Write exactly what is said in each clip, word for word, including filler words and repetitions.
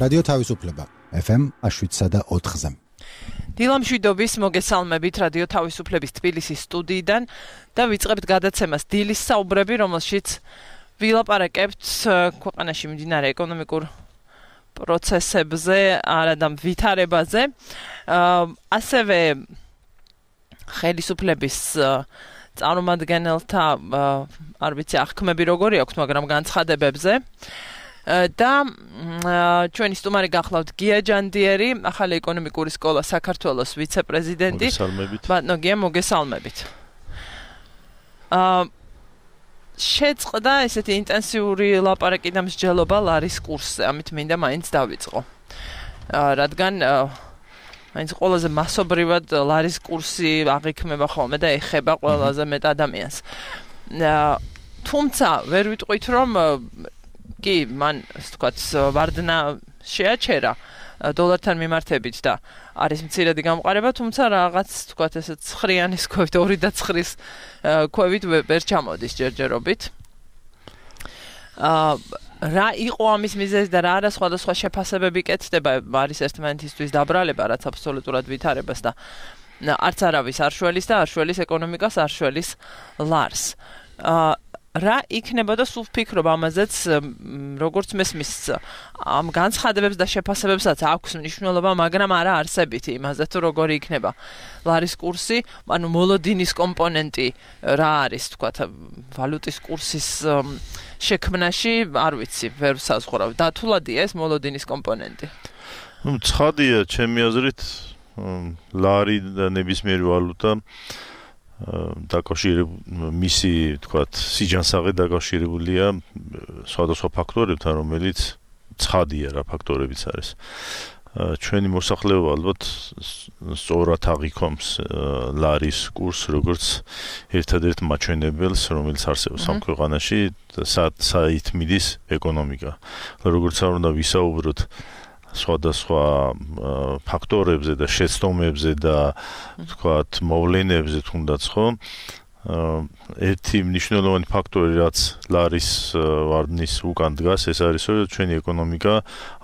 რადიო თავისუფლება ეფ ემ შვიდსა და ოთხზე. დილამ შვიდობის მოგესალმებით რადიო თავისუფლების თბილისის სტუდიიდან და ვიწყებთ გადაცემას დილის საუბრები, რომელშიც ვილაპარაკებთ ქვეყანაში მიმდინარე ეკონომიკურ პროცესებზე, არადა ვითარებაზე. ასევე ხელისუფლების წარმომადგენელთა არ ვიცი აღქმები როგორი აქვს, მაგრამ განცხადებებზე. და ჩვენი სტუმარი გახლავთ გია ჯანდიერი, ახალი ეკონომიკური სკოლა საქართველოს ვიცე-პრეზიდენტი. ბატონო გია, მოგესალმებით. აა შეწყდა ესეთი ინტენსიური ლაპარაკი და მსჯელობა ლარის კურსზე, ამით მინდა მაინც დავიწყო. აა რადგან მაინც ყველაზე მასობრივად ლარის კურსი აღიქმება ხოლმე და ეხება ყველაზე მეტ ადამიანს. აა თუმცა ვერ ვიტყვით რომ კი, მან, ასე ვთქვათ, ვარდნა შეაჩერა დოლართან მიმართებით და არის მცირედი გამყარება, თუმცა რაღაც, ვთქვათ, ესე ცხრიანის ქვევით, ორი და ცხრის ქვევით ვერ ჩამოდის ჯერჯერობით. აა რა იყო ამის მიზეზი და რა არა სხვადასხვა შეფასებები კეთდება, არის ერთმანეთისთვის დაბრალება, რაც აბსოლუტურად ვითარებას და არც არავის არ შველის და არ შველის ეკონომიკას, არ შველის ლარს. აა რა იქნებოდა სულ ვფიქრობ ამაზეც, როგორც მესმის ამ განცხადებებს და შეფასებებსაც აქვს მნიშვნელობა, მაგრამ არა არსებითი იმაზე თუ როგორი იქნება ლარის კურსი, ანუ მოლოდინის კომპონენტი რა არის, თქვათ, ვალუტის კურსის შექმნაში, არ ვიცი, ვერ საზღვრავ. დათულადია ეს მოლოდინის კომპონენტი? ნუ ცხადია, ჩემი აზრით, ლარი და ნებისმიერი ვალუტა დაკავშირებული მისი, თქვათ, სიჯანსაღე დაკავშირებულია სხვადასხვა ფაქტორებთან, რომელიც ცხადია რა ფაქტორებიც არის. ჩვენი მოსახლეობა ალბათ სწორად აღიქომს ლარის კურსს, როგორც ერთადერთ მაჩვენებელს, რომელიც არსებობს ამ ქვეყანაში, საით მიდის ეკონომიკა. როგორც არ უნდა ვისაუბროთ სხვადასხვა ფაქტორებზე და შეცდომებზე და თქვათ მოვლენებზე თუნდაც ხო ერთი მნიშვნელოვანი ფაქტორი რაც ლარის ვარდნის უკან დგას ეს არის რომ ჩვენი ეკონომიკა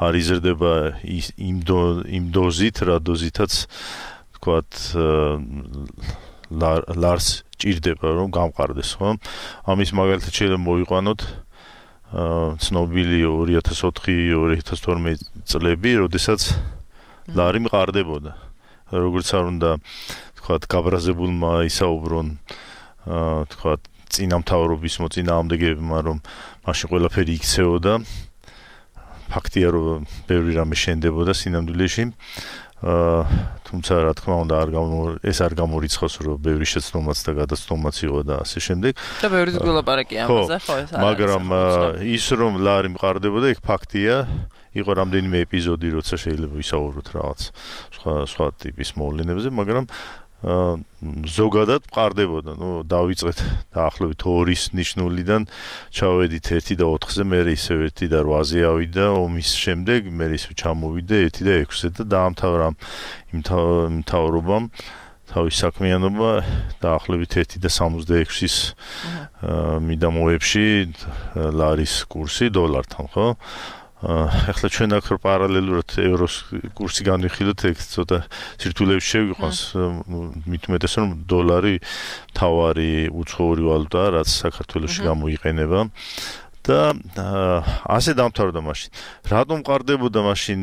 არ იზრდება იმ დოზით რა დოზითაც თქვათ ლარს ჭირდება რომ გამყარდეს ხო ამის მაგალითად შეიძლება მოვიყვანოთ ცნობილი ორი ათას ოთხი ორი ათას თორმეტი წლები, როდესაც ლარი მყარდებოდა. როგორც არ უნდა, თქვათ, გაბრაზებულმა ისაუბრონ, თქვათ, წინამთავრობის მოწინააღმდეგეებმა, რომ მაშინ ყველაფერი იქცეოდა. ფაქტია, რომ ბევრი რამე შენდებოდა სინამდვილეში. თუმცა რა თქმა უნდა არ ეს არ გამორიცხავს რომ ბევრი შეცდომაც და გადაცდომაც იყო და ასე შემდეგ. და ბევრი ვილაპარაკია ამაზე, ხო ეს არის. მაგრამ ის რომ ლარი მყარდებოდა, იქ ფაქტია, იყო რამდენიმე ეპიზოდი, როცა შეიძლება ვისაუბროთ რაღაც სხვა სხვა ტიპის მოვლენებზე, მაგრამ ზოგადად მყარდებოდა. ნუ დავიწყეთ დაახლოებით ორის ნიშნულიდან ჩავედით ერთი და ოთხზე, მერე ისევ ერთი და რვაზე ავიდა ომის შემდეგ, მერე ისევ ჩამოვიდა ერთი და ექვსზე და დაამთავრა იმ მთავრობამ თავის საქმიანობა დაახლოებით ერთი და სამოცდაექვსის მიდამოებში ლარის კურსი დოლართან, ხო? ახლა ჩვენ აქ პარალელურად ევროს კურსი განვიხილოთ, ეგ ცოტა სირთულეებში შევიყვანს, მით უმეტეს რომ დოლარი თავარი უცხოური ვალუტაა, რაც საქართველოში გამოიყენება და ასე დამთავრდა მაშინ. რატომ მყარდებოდა მაშინ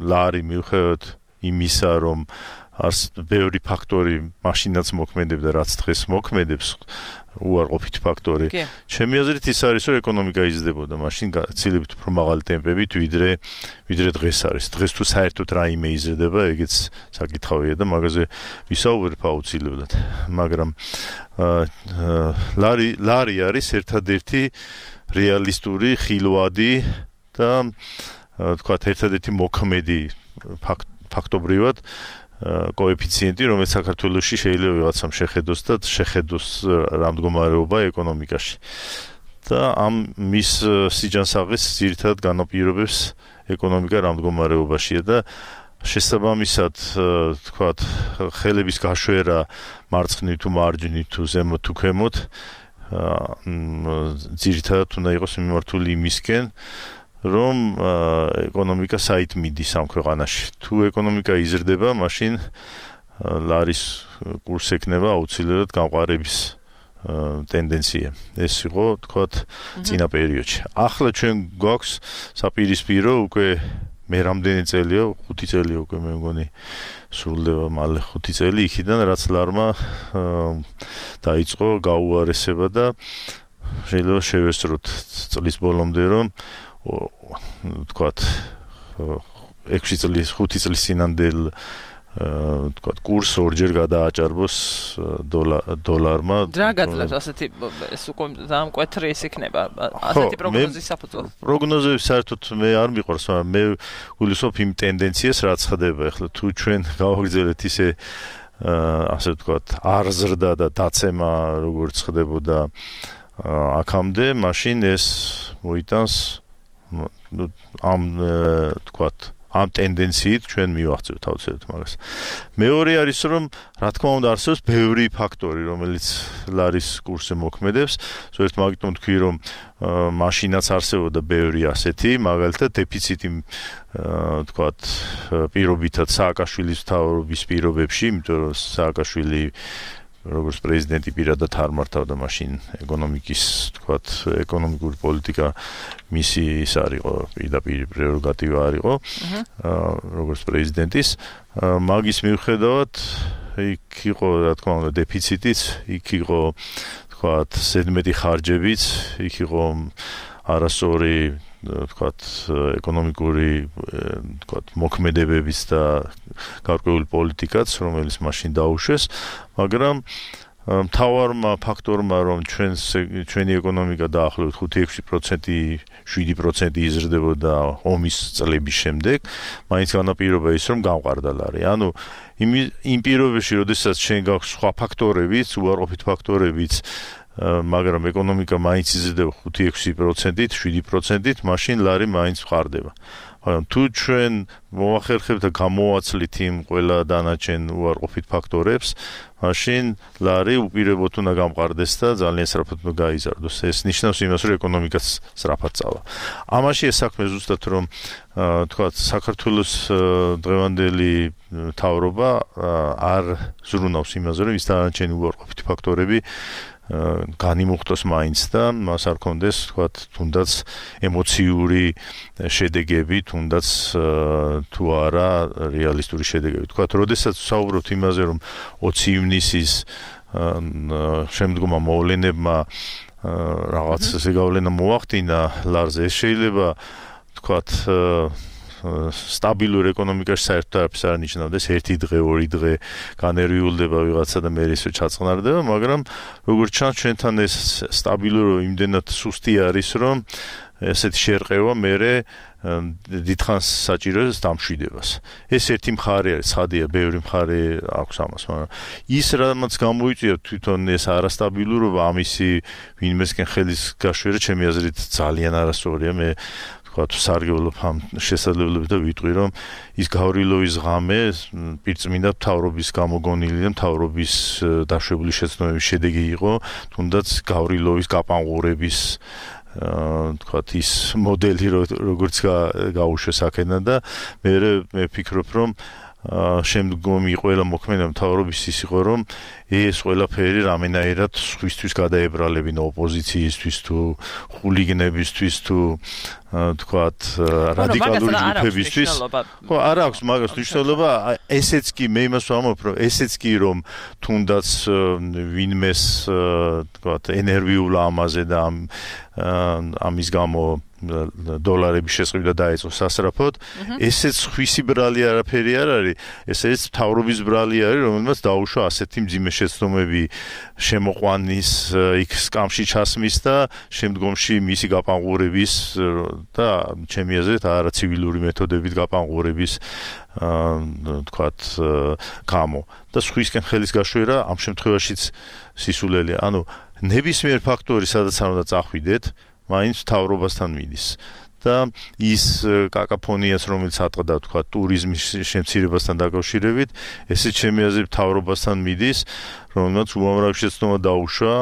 ლარი მიუხედავად იმისა, რომ არც ბევრი ფაქტორი მაშინაც მოქმედებდა, რაც დღეს მოქმედებს, უარყოფითი ფაქტორი. ჩემი აზრით ის არის, რომ ეკონომიკა იზრდებოდა მაშინ გაცილებით უფრო მაღალი ტემპებით, ვიდრე ვიდრე დღეს არის. დღეს თუ საერთოდ რაიმე იზრდება, ეგეც საკითხავია და მაგაზე ვისაუბრებ აუცილებლად. მაგრამ ლარი ლარი არის ერთადერთი რეალისტური ხილვადი და თქვათ ერთადერთი მოქმედი ფაქტობრივად კოეფიციენტი, რომელიც საქართველოში შეიძლება ვიღაცამ შეხედოს და შეხედოს რამდგომარეობა ეკონომიკაში. და ამ მის სიჯანსაღეს ძირითადად განაპირობებს ეკონომიკა რამდგომარეობაშია და შესაბამისად, თქვათ, ხელების გაშვერა მარცხნივ თუ მარჯვნივ თუ ზემოთ თუ ქვემოთ, ძირითადად უნდა იყოს მიმართული იმისკენ, რომ ეკონომიკა საით მიდის ამ ქვეყანაში. თუ ეკონომიკა იზრდება, მაშინ ლარის კურსი ექნება აუცილებლად გამყარების ტენდენცია. ეს იყო, თქვათ, წინა პერიოდში. ახლა ჩვენ გვაქვს საპირისპირო უკვე მე რამდენი წელია, ხუთი წელი უკვე მე მგონი სრულდება მალე ხუთი წელი იქიდან რაც ლარმა დაიწყო გაუარესება და შეიძლება შევესწროთ წლის ბოლომდე რომ თქვათ ექვსი წლის ხუთი წლის წინანდელ თქვათ კურს ორჯერ გადააჭარბოს დოლარმა. რა გაძლევს ასეთი ეს უკვე დამკვეთრი ის იქნება ასეთი პროგნოზის საფუძველი. პროგნოზები საერთოდ მე არ მიყვარს, მაგრამ მე გულისხმობ იმ ტენდენციას რაც ხდება ახლა თუ ჩვენ გავაგრძელეთ ისე ასე ვთქვათ არ ზრდა და დაცემა როგორც ხდებოდა აქამდე, მაშინ ეს მოიტანს ამ თქვათ ამ ტენდენციით ჩვენ მივახცევთ აუცილებლად მაგას. მეორე არის რომ რა თქმა უნდა არსებობს ბევრი ფაქტორი რომელიც ლარის კურსზე მოქმედებს. ზოგადად მაგიტომ თქვი რომ მაშინაც არსებობდა ბევრი ასეთი, მაგალითად დეფიციტი თქვათ პირობითად სააკაშვილის მთავრობის პირობებში, იმიტომ რომ სააკაშვილი როგორც პრეზიდენტი პირადად არ მართავდა მაშინ ეკონომიკის, თქვათ, ეკონომიკური პოლიტიკა მისი ის არისო, პირდაპირ პრეროგატივა არისო, როგორც პრეზიდენტის. მაგის მიუხედავად, იქ იყო, რა თქმა უნდა, დეფიციტიც, იქ იყო, თქვათ, ზედმეტი ხარჯებიც, იქ იყო არასწორი თქვათ ეკონომიკური თქვათ მოქმედებებიც და გარკვეული პოლიტიკაც, რომელიც მაშინ დაუშვეს, მაგრამ მთავარმა ფაქტორმა რომ ჩვენ ჩვენი ეკონომიკა დაახლოებით ხუთი ექვსი პროცენტი შვიდი პროცენტი იზრდებოდა ომის წლების შემდეგ, მაინც განაპირობა ის რომ გამყარდა ლარი. ანუ იმ პირობებში, როდესაც ჩვენ გაქვს სხვა ფაქტორებიც, უარყოფით ფაქტორებიც, მაგრამ ეკონომიკა მაინც იზრდება ხუთი ექვსი პროცენტით, შვიდი პროცენტით, მაშინ ლარი მაინც ვყარდება. მაგრამ თუ ჩვენ მოახერხებთ და გამოვაცლით იმ ყველა დანარჩენ უარყოფით ფაქტორებს, მაშინ ლარი უპირობოდ უნდა გამყარდეს და ძალიან სწრაფად უნდა გაიზარდოს. ეს ნიშნავს იმას, რომ ეკონომიკაც სწრაფად წავა. ამაშია საქმე ზუსტად რომ თქვათ საქართველოს დღევანდელი მთავრობა არ ზრუნავს იმაზე, რომ ის დანარჩენი უარყოფით ფაქტორები განიმუხტოს მაინც და მას არ კონდეს, თქვათ, თუნდაც ემოციური შედეგები, თუნდაც თუ არა რეალისტური შედეგები. თქვათ, როდესაც ვსაუბრობთ იმაზე, რომ ოცი ივნისის შემდგომა მოვლენებმა რაღაც ზეგავლენა მოახდინა ლარზე, ეს შეიძლება, თქვათ, სტაბილურ ეკონომიკაში საერთოდ არაფერს არ ნიშნავდეს, ერთი დღე, ორი დღე განერვიულდება ვიღაცა და მე ისე ჩაწყნარდება, მაგრამ როგორც ჩანს ჩვენთან ეს სტაბილური იმდენად სუსტი არის, რომ ესეთი შერყევა მერე დიდხანს საჭიროებს დამშვიდებას. ეს ერთი მხარე არის, ცხადია, ბევრი მხარე აქვს ამას, მაგრამ ის რამაც გამოიწვია თვითონ ეს არასტაბილურობა, ამისი ვინმესკენ ხელის გაშვერა ჩემი აზრით ძალიან არასწორია. მე თქვათ სარგებლობ ამ შესაძლებლობით და ვიტყვი რომ ის გავრილოვის ღამე პირწმინდა მთავრობის გამოგონილი და მთავრობის დაშვებული შეცდომების შედეგი იყო, თუნდაც გავრილოვის გაპანყურების თქვათ ის მოდელი როგორც გაუშვეს აქედან და მე მე ვფიქრობ რომ შემდგომი ყველა მოქმედება მთავრობის ის იყო რომ ეს ყველაფერი რამენაირად სხვისთვის გადაებრალებინა ოპოზიციისთვის თუ ხულიგნებისთვის თუ თქვათ რადიკალური ჯგუფებისთვის. ხო, არ აქვს მაგას მნიშვნელობა. ესეც კი მე იმას ვამბობ, რომ ესეც კი რომ თუნდაც ვინმეს თქვათ ენერგიულ ამაზე და ამ ამის გამო დოლარების შესყიდვა დაიწყო სასწრაფოდ, ესეც ხვისი ბრალი არაფერი არ არის, ესეც მთავრობის ბრალი არის, რომელმაც დაუშვა ასეთი მძიმე შეცდომები შემოყვანის, იქ სკამში ჩასმის და შემდგომში მისი გაპანყურების და ჩემი აზრით არაცივილური მეთოდებით გაპანყურების თქვათ გამო და სხვისკენ ხელის გაშვერა ამ შემთხვევაშიც სისულელია. ანუ ნებისმიერ ფაქტორი სადაც არ უნდა წახვიდეთ, მაინც მთავრობასთან მიდის და ის კაკაფონიაც რომელიც ატყდა თქვა ტურიზმის შემცირებასთან დაკავშირებით, ესეც ჩემი აზრით მთავრობასთან მიდის, რომელმაც უამრავი შეცდომა დაუშვა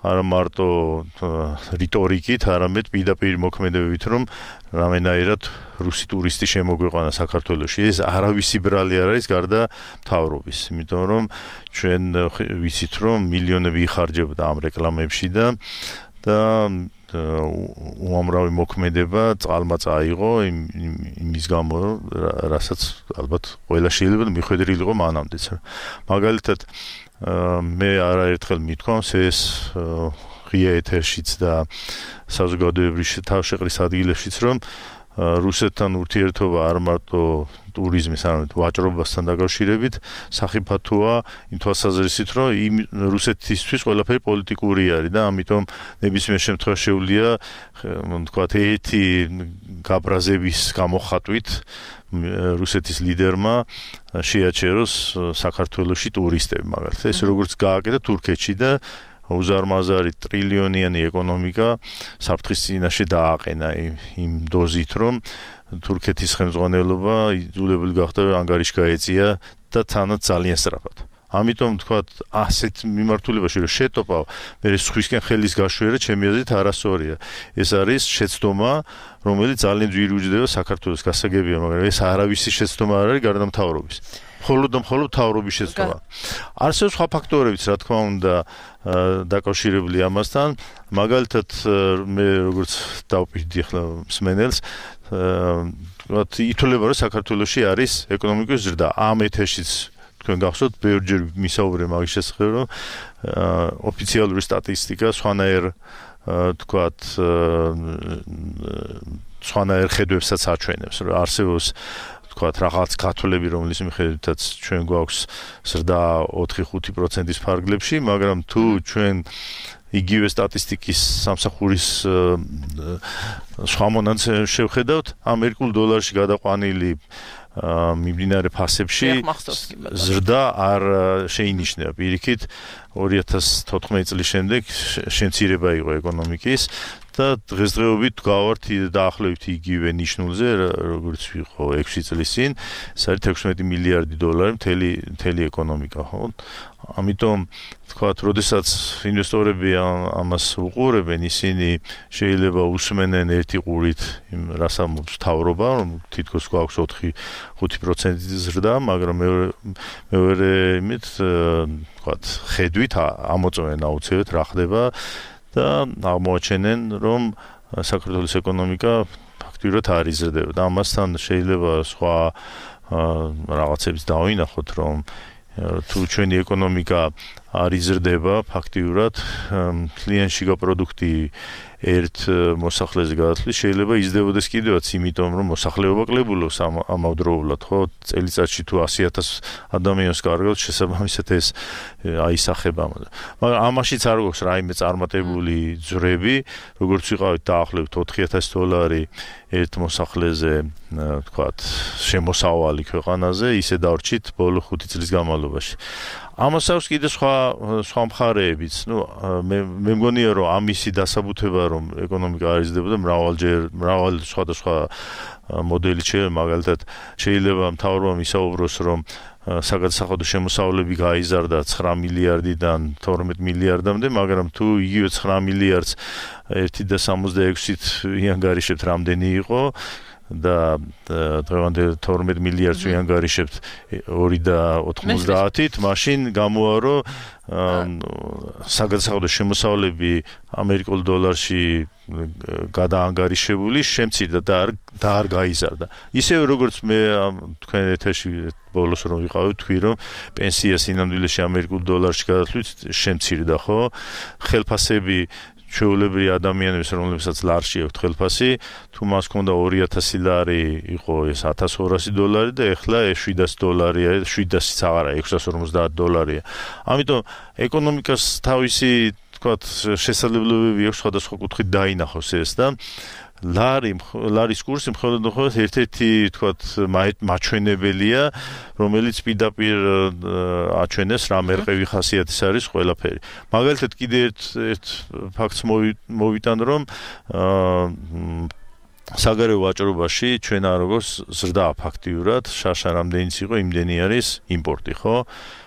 არა მარტო რიტორიკით, არამედ პირდაპირ მოქმედებებით, რომ რამენაირად რუსი ტურისტი შემოგვიყვანა საქართველოში. ეს არავისი ბრალი არ არის გარდა მთავრობის, იმიტომ რომ ჩვენ ვიცით რომ მილიონები იხარჯებოდა ამ რეკლამებში და და უამრავი მოქმედება წყალმა წაიღო იმის გამო, რასაც ალბათ ყველა შეიძლება მიხვედრილი იყო მანამდეც. მაგალითად მე არაერთხელ მithქვამს ეს ღია ეთერშიც და საზოგადოებრივ თავშეყრის ადგილებშიც, რომ რუსეთთან ურთიერთობა არ მარტო ტურიზმის, არამედ ვაჭრობასთან დაკავშირებით სახიფათოა იმ თვალსაზრისით, რომ იმ რუსეთისთვის ყველაფერი პოლიტიკური არის და ამიტომ ნებისმიერ შემთხვევაში შეუძლია თქვათ ერთი გაბრაზების გამოხატვით რუსეთის ლიდერმა შეაჩეროს საქართველოში ტურისტები, მაგალითად ეს როგორც გააკეთა თურქეთში და უზარმაზარი ტრილიონიანი ეკონომიკა საფრთხის წინაშე დააყენა იმ დოზით, რომ თურქეთის ხელმძღვანელობა იძულებული გახდა ანგარიში გაეწია და თანაც ძალიან სწრაფად. ამიტომ თქვათ ასეთ მიმართულებაში რომ შეტოპავ, მე სხვისკენ ხელის გაშვერა ჩემი აზრით არასწორია. ეს არის შეცდომა, რომელიც ძალიან ძვირი უჯდება საქართველოს გასაგებია, მაგრამ ეს არავისი შეცდომა არ არის გარდა მთავრობის. მხოლოდ და მხოლოდ მთავრობის შეცდომა. არსებობს სხვა ფაქტორებიც, რა თქმა უნდა, დაკავშირებული ამასთან. მაგალითად, მე როგორც დავპირდი ახლა მსმენელს, ვთქვათ, ითვლება, რომ საქართველოში არის ეკონომიკური ზრდა. ამ ეთერშიც თქვენ გახსოვთ, ბევრჯერ მისაუბრე მაგის შესახებ, რომ ოფიციალური სტატისტიკა სხვანაირ თქვათ სხვანაირ ხედვებსაც აჩვენებს, რომ არსებობს თქვათ რაღაც გათვლები, რომლის მიხედვითაც ჩვენ გვაქვს ზრდა ოთხი ხუთი პროცენტის ფარგლებში, მაგრამ თუ ჩვენ იგივე სტატისტიკის სამსახურის სხვა მონაცემებს შევხედავთ, ამერიკულ დოლარში გადაყვანილი მიმდინარე ფასებში ზრდა არ შეინიშნება. პირიქით ორი ათას თოთხმეტი წლის შემდეგ შემცირება იყო ეკონომიკის და დღესდღეობით გავართ დაახლოებით იგივე ნიშნულზე, როგორც იყო ექვსი წლის წინ, ეს არის ექვსმეტი მილიარდი დოლარი მთელი მთელი ეკონომიკა, ხო? ამიტომ თქვათ, როდესაც ინვესტორები ამას უყურებენ, ისინი შეიძლება უსმენენ ერთი ყურით იმ რას ამბობს მთავრობა, რომ თითქოს გვაქვს ოთხი ხუთი პროცენტი ზრდა, მაგრამ მეორე მეორე იმით თქვათ, ხედვით ამოწმენ აუცილებლად რა ხდება და აღმოაჩენენ, რომ საქართველოს ეკონომიკა ფაქტიურად არ იზრდება და ამასთან შეიძლება სხვა რაღაცებს დავინახოთ, რომ თუ ჩვენი ეკონომიკა არ იზრდება ფაქტიურად, კლიენტშიგა პროდუქტი ერთ მოსახლეზე გადათვლის შეიძლება იზრდებოდეს კიდევაც, იმიტომ რომ მოსახლეობა კლებულობს ამავდროულად, ხო? წელიწადში თუ ასი ათას ადამიანს კარგავს, შესაბამისად ეს აისახება. მაგრამ ამაშიც არ გვაქვს რაიმე წარმატებული ძვრები, როგორც ვიყავით დაახლოებით ოთხი ათასი დოლარი ერთ მოსახლეზე, თქვათ, შემოსავალი ქვეყანაზე, ისე დავრჩით ბოლო ხუთი წლის განმავლობაში. ამას აქვს კიდე სხვა სხვა მხარეებიც. ნუ მე მე მგონია, რომ ამისი დასაბუთება, რომ ეკონომიკა არ იზრდებოდა, მრავალჯერ მრავალ სხვადასხვა მოდელით შეიძლება, მაგალითად, შეიძლება მთავრობამ ისაუბროს, რომ საგადასახადო შემოსავლები გაიზარდა ცხრა მილიარდიდან თორმეტ მილიარდამდე, მაგრამ თუ იგივე ცხრა მილიარდს ერთი და სამოცდაექვსით იანგარიშებთ, რამდენი იყო და დღევანდელ თორმეტ მილიარდს ვიანგარიშებთ ორი და ოთხმოცდაათით, მაშინ გამოვა, რომ საგადასახადო შემოსავლები ამერიკულ დოლარში გადაანგარიშებული შემცირდა და არ და არ გაიზარდა. ისევე როგორც მე თქვენ ეთერში ბოლოს რომ ვიყავით, თქვი რომ პენსია სინამდვილეში ამერიკულ დოლარში გადათვლით შემცირდა, ხო? ხელფასები ჩვეულებრივი ადამიანების, რომლებსაც ლარში აქვთ ხელფასი, თუ მას ჰქონდა ორი ათასი ლარი, იყო ეს ათას ორასი დოლარი და ეხლა შვიდასი დოლარია, შვიდასიც აღარა, ექვსას ორმოცდაათი დოლარია. ამიტომ ეკონომიკას თავისი, თქვათ, შესაძლებლობები აქვს სხვადასხვა კუთხით დაინახოს ეს და ლარი ლარის კურსი მხოლოდ მხოლოდ ერთ-ერთი, თქვათ, მაჩვენებელია, რომელიც პირდაპირ აჩვენებს რა მერყევი ხასიათის არის ყველაფერი. მაგალითად, კიდე ერთ ერთ ფაქტს მოვიტან, რომ საგარეო ვაჭრობაში ჩვენ არ როგორც ზრდა ფაქტიურად შაშა რამდენიც იყო იმდენი არის იმპორტი, ხო?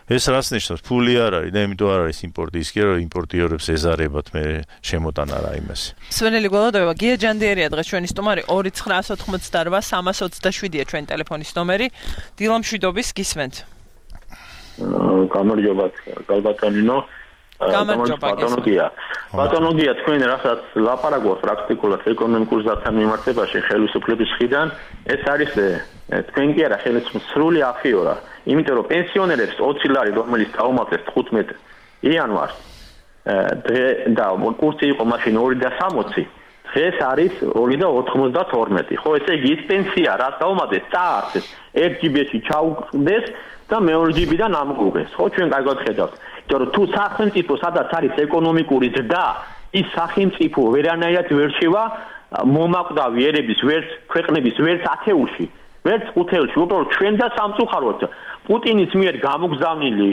ეს რას ნიშნავს? ფული არ არის და იმიტომ არ არის იმპორტი, ის კი რომ იმპორტიორებს ეზარებათ მე შემოტანა რა იმასი. სვენელი გველოდოება, გია ჯანდიერია დღეს ჩვენი სტუმარი ორი ცხრაას ოთხმოცდარვა სამას ოცდაშვიდია ჩვენი ტელეფონის ნომერი. დილა მშვიდობის გისმენთ. გამარჯობა, გალბატონინო. ბატონოგია. ბატონოგია თქვენ რასაც ლაპარაკობთ პრაქტიკულად ეკონომიკურ ზართან მიმართებაში ხელისუფლების მხრიდან, ეს არის თქვენ კი არა ხელისუფლების სრული აფიორა. იმიტომ რომ პენსიონერებს ოცი ლარი რომელიც დაუმატეს თხუთმეტ იანვარს და კურსი იყო მაშინ ორი და სამოცი, დღეს არის ორი და ოთხმოცდათორმეტი. ხო, ესე იგი ის პენსია რაც დაუმატეს წაართეს ერთ ჯიბში ჩაუყდეს და მეორე ჯიბიდან ამოუღეს. ხო, ჩვენ კარგად ხედავთ. იმიტომ რომ თუ სახელმწიფო სადაც არის ეკონომიკური ზრდა, ის სახელმწიფო ვერანაირად ვერ შევა მომაკვდავი ერების ვერც ქვეყნების ვერც ათეულში, ვერც ხუთეულში. უბრალოდ ჩვენ და სამწუხაროდ პუტინის მიერ გამოგზავნილი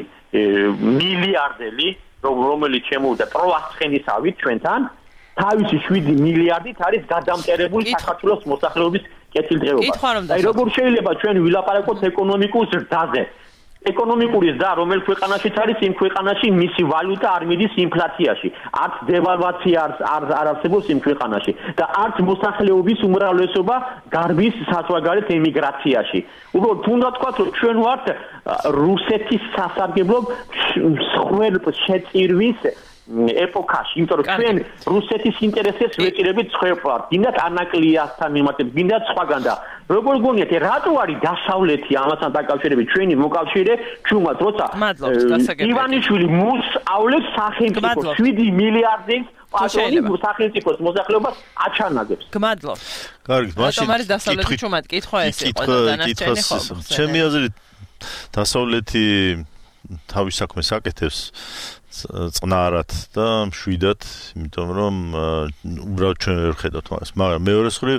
მილიარდელი, რომელიც შემოვიდა პროასცხენისავით ჩვენთან, თავისი შვიდი მილიარდით არის გადამტერებული საქართველოს მოსახლეობის კეთილდღეობა. აი როგორ შეიძლება ჩვენ ვილაპარაკოთ ეკონომიკურ ზრდაზე? ეკონომიკური ზრდა რომელ ქვეყანაშიც არის, იმ ქვეყანაში მისი ვალუტა არ მიდის ინფლაციაში, არც დევალვაცია არ არ არსებობს იმ ქვეყანაში და არც მოსახლეობის უმრავლესობა გარბის საზღვარგარეთ ემიგრაციაში. უბრალოდ თუნდაც ვთქვათ, რომ ჩვენ ვართ რუსეთის სასარგებლო მსხვერპ შეწირვის ეპოქაში, იმიტომ რომ ჩვენ რუსეთის ინტერესებს ვეჭირებით სხვებად, გინდათ ანაკლიასთან მიმართებით, გინდათ სხვაგან და როგორ გონიათ, რატო არის დასავლეთი ამასთან დაკავშირებით ჩვენი მოკავშირე ჩუმად, როცა ივანიშვილი მოსავლებს სახელმწიფოს შვიდი მილიარდის პატრონი სახელმწიფოს მოსახლეობას აჩანაგებს. გმადლობ. კარგი, მაშინ არის დასავლეთი ჩუმად, კითხვა ეს იყო და დანარჩენი ხო. ჩემი აზრით დასავლეთი თავის საქმეს აკეთებს წნარად და მშვიდად, იმიტომ რომ უბრალოდ ჩვენ ვერ ხედავთ მას. მაგრამ მეორე მხრივ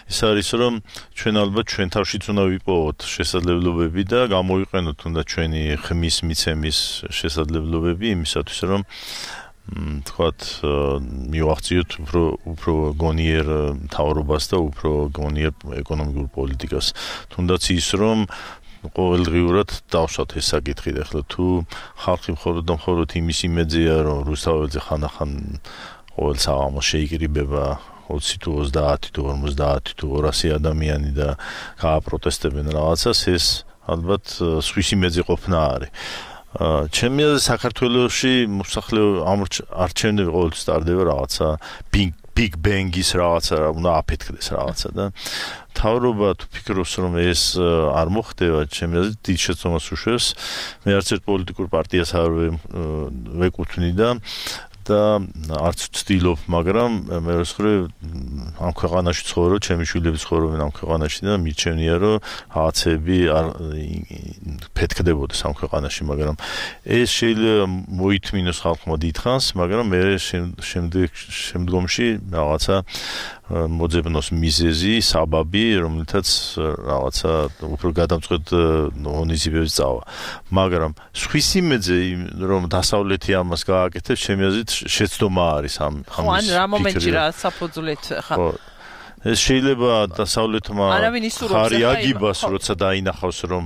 ის არის რომ ჩვენ ალბათ ჩვენ თავშიც უნდა ვიპოვოთ შესაძლებლობები და გამოვიყენოთ თუნდაც ჩვენი ხმის მიცემის შესაძლებლობები იმისათვის რომ თქვათ მივახციოთ უფრო უფრო გონიერ მთავრობას და უფრო გონიერ ეკონომიკურ პოლიტიკას. თუნდაც ის რომ ყოველდღიურად დავსვათ ეს საკითხი და ახლა თუ ხალხი მხოლოდ და მხოლოდ იმის იმედია რომ რუსთაველზე ხანახან ყოველ საღამოს შეიკრიბება ოცი თუ ოცდაათი თუ ორმოცდაათი თუ ორასი ადამიანი და გააპროტესტებენ რაღაცას, ეს ალბათ სხვის იმედზე ყოფნა არის. ჩემი აზრით საქართველოში მოსახლე არჩევნები ყოველთვის ტარდება რაღაცა Big Bang-ის რაღაცა უნდა აფეთქდეს რაღაცა და თავრობა თუ ფიქრობს რომ ეს არ მოხდება, ჩემი აზრით დიდ შეცდომას უშვებს. მე არც ერთ პოლიტიკურ პარტიას არ ვეკუთვნი და და არც ვცდილობ, მაგრამ მე ვსხრი ამ ქვეყანაში ცხოვრობ, ჩემი შვილები ცხოვრობენ ამ ქვეყანაში და მიჩვენია რომ რაღაცები არ ფეთქდებოდეს ამ ქვეყანაში, მაგრამ ეს შეიძლება მოითმინოს ხალხმა დიდხანს, მაგრამ მე შემდეგ შემდგომში რაღაცა მოძებნოს მიზეზი, საბაბი, რომელთაც რაღაცა უფრო გადამწყვეტ ღონისძიებებს წავა. მაგრამ სხვის იმედზე რომ დასავლეთი ამას გააკეთებს, ჩემი აზრით შეცდომა არის ამ ამის. ხო, ან რა მომენტში რა საფუძვლით ხა ეს შეიძლება დასავლეთმა ხარი აგიბას, როცა დაინახავს რომ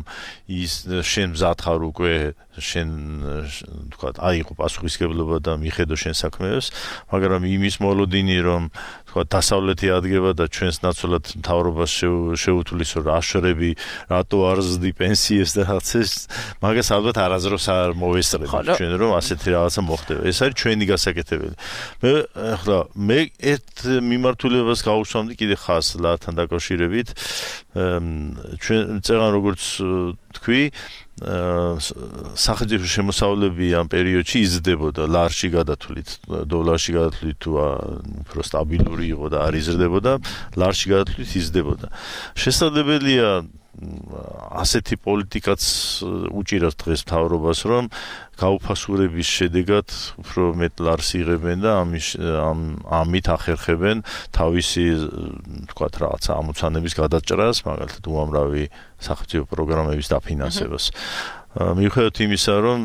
ის შენ მზად ხარ უკვე შენ თქვა აიღო პასუხისმგებლობა და მიხედო შენ საქმეებს, მაგრამ იმის მოლოდინი რომ თქვა დასავლეთი ადგება და ჩვენს ნაცვლად მთავრობას შეუთulis რომ აშრები რატო არ ზრდი პენსიებს და რაღაცას, მაგას ალბათ არაზროს არ მოვესწრებით ჩვენ რომ ასეთი რაღაცა მოხდება. ეს არის ჩვენი გასაკეთებელი. მე ახლა მე ერთ მიმართულებას გავუსვამდი კიდე ხას ლართან დაკავშირებით. ჩვენ წეგან როგორც თქვი სახელმწიფო შემოსავლები ამ პერიოდში იზრდებოდა, ლარში გადათვლით, დოლარში გადათვლით თუ უფრო სტაბილური იყო და არ იზრდებოდა, ლარში გადათვლით იზრდებოდა. შესაძლებელია ასეთი პოლიტიკაც უჭირავს დღეს მთავრობას, რომ გაუფასურების შედეგად უფრო მეტ ლარს იღებენ და ამის ამით ახერხებენ თავისი თქვათ რაღაცა ამოცანების გადაჭრას, მაგალითად უამრავი სახელმწიფო პროგრამების დაფინანსებას. მიუხედავად იმისა, რომ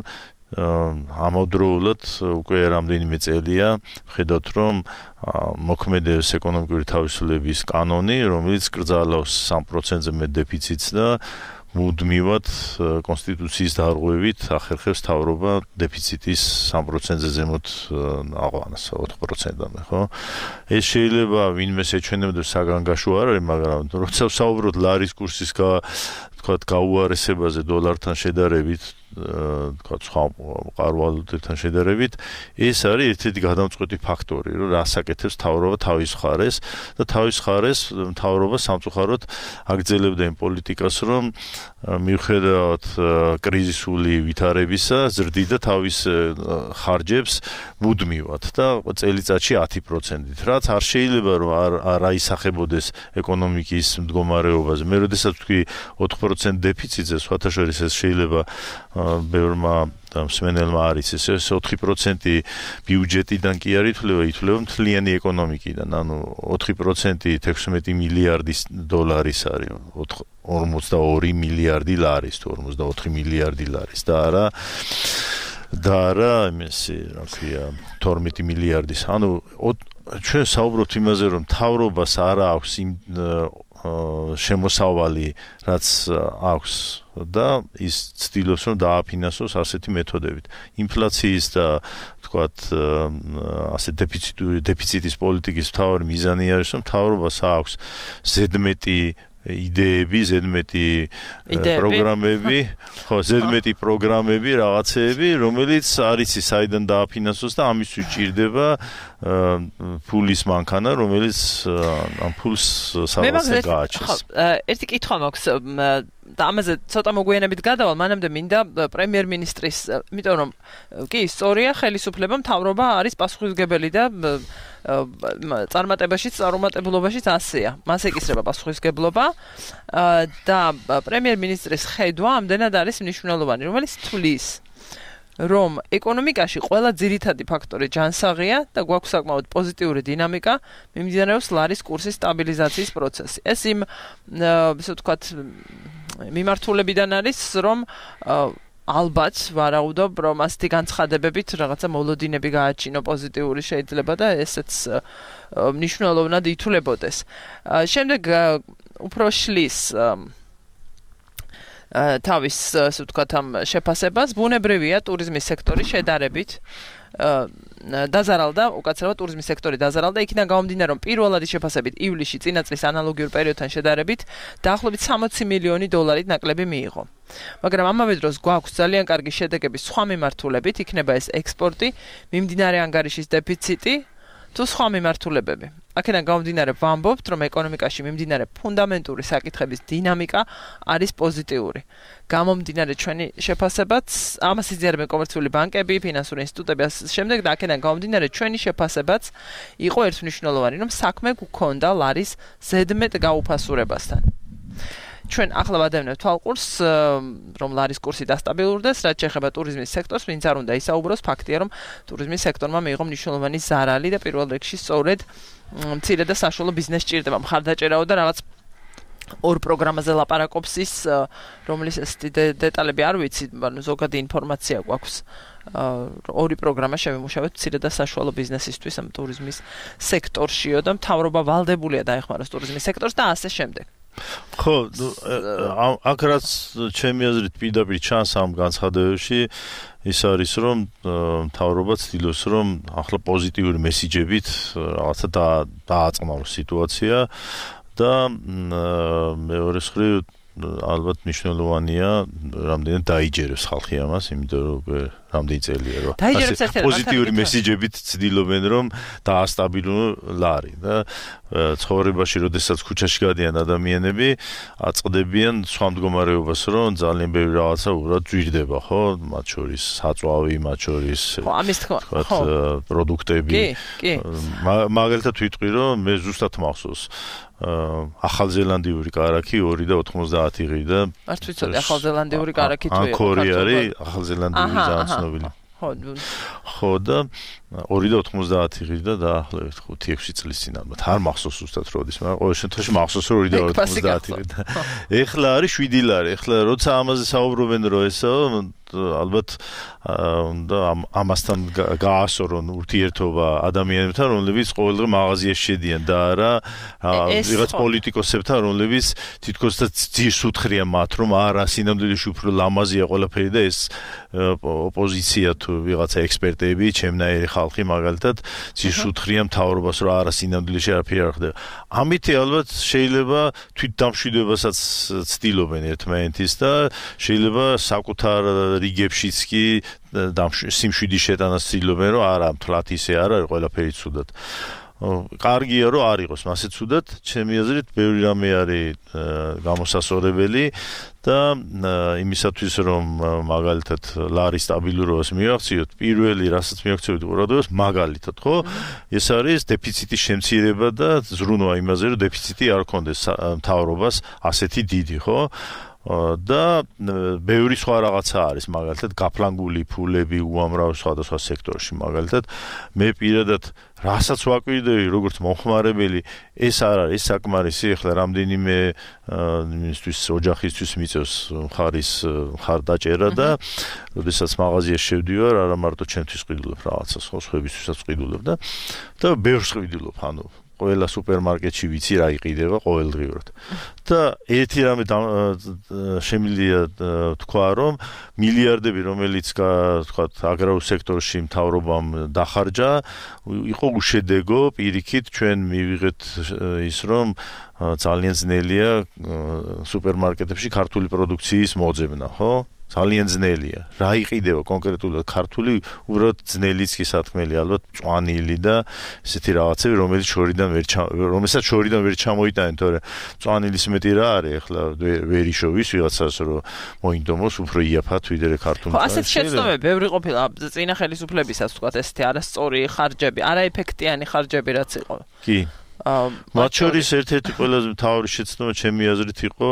ამავდროულად უკვე რამდენიმე წელია ხედავთ რომ მოქმედებს ეკონომიკური თავისუფლების კანონი, რომელიც კრძალავს სამ პროცენტზე მეტ დეფიციტს და მუდმივად კონსტიტუციის დარღვევით ახერხებს მთავრობა დეფიციტის სამ პროცენტზე ზემოთ აყვანას ოთხ პროცენტამდე, ხო? ეს შეიძლება ვინმეს ეჩვენებდეს საგანგაშო არ არის, მაგრამ როცა ვსაუბრობთ ლარის კურსის თქვათ გაუარესებაზე დოლართან შედარებით, თქვათ სხვა მყარვალობებთან შედარებით, ეს არის ერთ-ერთი გადამწყვეტი ფაქტორი, რომ რასაკეთებს მთავრობა თავის მხარეს და თავის მხარეს მთავრობა სამწუხაროდ აგრძელებდა იმ პოლიტიკას, რომ მიუხედავად კრიზისული ვითარებისა, ზრდიდა თავის ხარჯებს მუდმივად და წელიწადში ათი პროცენტით, რაც არ შეიძლება რომ არ აისახებოდეს ეკონომიკის მდგომარეობაზე. მე როდესაც ვთქვი ოთხ პროცენტ დეფიციტზე, სხვათა შორის ეს შეიძლება ბევრმა მსმენელმა არის ეს ოთხი პროცენტი ბიუჯეტიდან კი არ ითვლება, ითვლება მთლიანი ეკონომიკიდან, ანუ ოთხი პროცენტი ექვსმეტი მილიარდი დოლარის არის, ორმოცდაორი მილიარდი ლარის, თუ ორმოცდაოთხი მილიარდი ლარის და არა და არა იმისი, რა ქვია, თორმეტი მილიარდის. ანუ ჩვენ საუბრობთ იმაზე, რომ მთავრობას არ აქვს იმ შემოსავალი, რაც აქვს და ის ცდილობს რომ დააფინანსოს ასეთი მეთოდებით. ინფლაციის და თქვათ ასე დეფიციტის პოლიტიკის მთავარი მიზანი არის, რომ მთავრობას აქვს ზედმეტი იდეები, ზედმეტი პროგრამები, ხო, ზედმეტი პროგრამები, რაღაცეები, რომელიც არის საიდან დააფინანსოს და ამისთვის ჭირდება ფულის მანქანა, რომელიც ამ ფულს სადღაც გააჩენს. ერთი კითხვა მაქვს და ამაზე ცოტა მოგვიანებით გადავალ, მანამდე მინდა პრემიერ-მინისტრის, იმიტომ რომ კი, სწორია, ხელისუფლება მთავრობა არის პასუხისმგებელი და წარმატებაშიც, წარუმატებლობაშიც ასეა. მას ეკისრება პასუხისმგებლობა და პრემიერ-მინისტრის ხედვა ამდენად არის მნიშვნელოვანი, რომელიც თვლის რომ ეკონომიკაში ყველა ძირითადი ფაქტორი ჯანსაღია და გვაქვს საკმაოდ პოზიტიური დინამიკა, მიმდინარეობს ლარის კურსის სტაბილიზაციის პროცესი. ეს იმ, ესე ვთქვათ, მიმართულებიდან არის, რომ ალბათ ვარაუდობ, რომ ასეთი განცხადებებით რაღაცა მოლოდინები გააჩინო პოზიტიური შეიძლება და ესეც მნიშვნელოვნად ითვლებოდეს. შემდეგ უფრო შლის თავის, ასე ვთქვათ, ამ შეფასებას, ბუნებრივია ტურიზმის სექტორი შედარებით დაზარალდა, უკაცრავად ტურიზმის სექტორი დაზარალდა, იქიდან გამომდინარე, რომ პირველადი შეფასებით ივლისში წინა წლის ანალოგიურ პერიოდთან შედარებით დაახლოებით სამოცი მილიონი დოლარით ნაკლები მიიღო. მაგრამ ამავე დროს გვაქვს ძალიან კარგი შედეგები სხვა მიმართულებით, იქნება ეს ექსპორტი, მიმდინარე ანგარიშის დეფიციტი თუ სხვა მიმართულებები. აქედან გამომდინარე ვამბობთ, რომ ეკონომიკაში მიმდინარე ფუნდამენტური საკითხების დინამიკა არის პოზიტიური. გამომდინარე ჩვენი შეფასებაც, ამას იზიარებენ კომერციული ბანკები, ფინანსური ინსტიტუტები, შემდეგ და აქედან გამომდინარე ჩვენი შეფასებაც იყო ერთმნიშვნელოვანი, რომ საქმე გვქონდა ლარის ზედმეტ გაუფასურებასთან. ჩვენ ახლა ვადევნებთ თვალყურს, რომ ლარის კურსი დასტაბილურდეს, რაც შეეხება ტურიზმის სექტორს, ვინც არ უნდა ისაუბროს, ფაქტია, რომ ტურიზმის სექტორმა მიიღო მნიშვნელოვანი ზარალი და პირველ რიგში სწორედ მცირე და საშუალო ბიზნესს ჭირდება მხარდაჭერაო და რაღაც ორ პროგრამაზე ლაპარაკობს ის, რომლის დეტალები არ ვიცი, მაგრამ ზოგადი ინფორმაცია გვაქვს. ორი პროგრამა შევიმუშავეთ მცირე და საშუალო ბიზნესისთვის ამ ტურიზმის სექტორშიო და მთავრობა ვალდებულია დაეხმაროს ტურიზმის სექტორს და ასე შემდეგ. ხო, აქ რაც ჩემი აზრით პირდაპირ ჩანს ამ განცხადებებში, ის არის, რომ მთავრობა ცდილობს, რომ ახლა პოზიტიური მესიჯებით რაღაცა დააწყნაროს სიტუაცია და მეორე მხრივ ალბათ მნიშვნელოვანია, რამდენად დაიჯერებს ხალხი ამას, იმიტომ რომ რამდენი წელია რომ პოზიტიური მესიჯებით ცდილობენ, რომ დაასტაბილოს ლარი და ცხოვრებაში, როდესაც ქუჩაში გადიან ადამიანები, აწყდებიან სხვა მდგომარეობას, რომ ძალიან ბევრი რაღაცა უბრალოდ ძვირდება, ხო? მათ შორის საწვავი, მათ შორის პროდუქტები. მაგალითად ვიტყვი, რომ მე ზუსტად მახსოვს ახალზელანდიური კარაქი ორი და ოთხმოცდაათი ღი და არ ვიცოდი ახალზელანდიური კარაქი თუ იყო ანგკორი არის ახალზელანდიური ძალიან ცნობილი. ხო. ხო და ორი და ოცდაათი ღირდა დაახლოებით ხუთი ექვსი წლის წინ ალბათ არ მახსოვს ზუსტად როდის, მაგრამ ყოველ შემთხვევაში მახსოვს რომ ორი და ოცდაათი ღირდა. ეხლა არის შვიდი ლარი. ეხლა როცა ამაზე საუბრობენ რომ ესო ალბათ და ამასთან გაასორონ ურთიერთობა ადამიანებთან, რომლებიც ყოველდღე მაღაზიაში შედიან და არა ვიღაც პოლიტიკოსებთან, რომლებიც თითქოს და ძირს უთხრიან მათ, რომ არა სინამდვილეში უფრო ლამაზია ყველაფერი და ეს ოპოზიცია თუ ვიღაცა ექსპერტები, ჩემნაირი ხალხი მაგალითად ძირს უთხრიან მთავრობას, რომ არა სინამდვილეში არაფერი არ ხდება. ამით ალბათ შეიძლება თვითდამშვიდობასაც ცდილობენ ერთმანეთის და შეიძლება საკუთარ რიგებშიც კი სიმშვიდის შეტანას ცდილობენ, რომ არა მთლად ისე არ არის ყველაფერი ცუდად. კარგია რომ არ იყოს მასე ცუდად, ჩემი აზრით ბევრი რამე არის გამოსასწორებელი და იმისათვის რომ მაგალითად ლარის სტაბილურობას მივახციოთ, პირველი რასაც მივახციოთ ყურადღებას მაგალითად, ხო? ეს არის დეფიციტის შემცირება და ზრუნვა იმაზე, რომ დეფიციტი არ ქონდეს მთავრობას ასეთი დიდი, ხო? და ბევრი სხვა რაღაცა არის მაგალითად გაფლანგული ფულები უამრავ სხვადასხვა სექტორში მაგალითად მე პირადად რასაც ვაკვირდები როგორც მომხმარებელი ეს არ არის საკმარისი ახლა რამდენიმე იმისთვის ოჯახისთვის მიწევს მხარის მხარდაჭერა და როდესაც მაღაზიაში შევდივარ არა მარტო ჩემთვის ყიდულობ რაღაცას ხო სხვებისთვისაც ყიდულობ და და ბევრს ყიდულობ ანუ ყველა სუპერმარკეტში ვიცი რა იყიდება ყოველდღიურად. და ერთი რამე შემიძლია თქვა რომ მილიარდები რომელიც თქვა აგრარულ სექტორში მთავრობამ დახარჯა იყო უშედეგო პირიქით ჩვენ მივიღეთ ის რომ ძალიან ძნელია სუპერმარკეტებში ქართული პროდუქციის მოძებნა, ხო? ძალიან ძნელია. რა იყიდება კონკრეტულად ქართული, უბრალოდ ძნელიც კი სათქმელი, ალბათ მწვანილი და ესეთი რაღაცები, რომელიც შორიდან ვერ რომელსაც შორიდან ვერ ჩამოიტანენ, თორე მწვანილის მეტი რა არის, ახლა ვერ იშოვის ვიღაცას რომ მოინდომოს უფრო იაფად ვიდრე ქართული. ხო, ასეთ შეცდომები ბევრი ყოფილა წინა ხელისუფლებისაც თქვა ესეთი არასწორი ხარჯები, არაეფექტიანი ხარჯები რაც იყო. კი. მათ შორის ერთ-ერთი ყველაზე მთავარი შეცდომა ჩემი აზრით იყო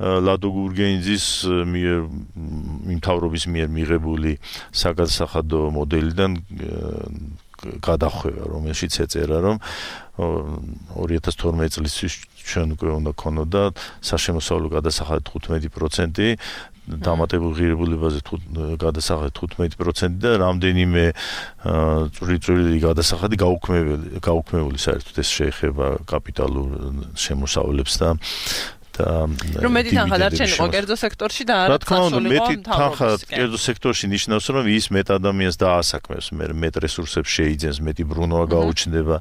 ლადო გურგენიძის მიერ მთავრობის მიერ მიღებული საგადასახადო მოდელიდან გადახვევა, რომელშიც ეწერა, რომ ორი ათას თორმეტი წლისთვის ჩვენ უკვე უნდა ქონოდა საშემოსავლო გადასახადი თხუთმეტი პროცენტი, დამატებულ ღირებულებაზე გადასახადი თხუთმეტი პროცენტი და რამდენიმე წვრილი გადასახადი გაუქმებული, გაუქმებული საერთოდ ეს შეეხება კაპიტალურ შემოსავლებს და რომ მეტი თანხა დარჩენილიყო კერძო სექტორში და არა საშუალო მეტი თანხა კერძო სექტორში ნიშნავს რომ ის მეტ ადამიანს დაასაქმებს მე მეტ რესურსებს შეიძენს მეტი ბრუნვა გაუჩნდება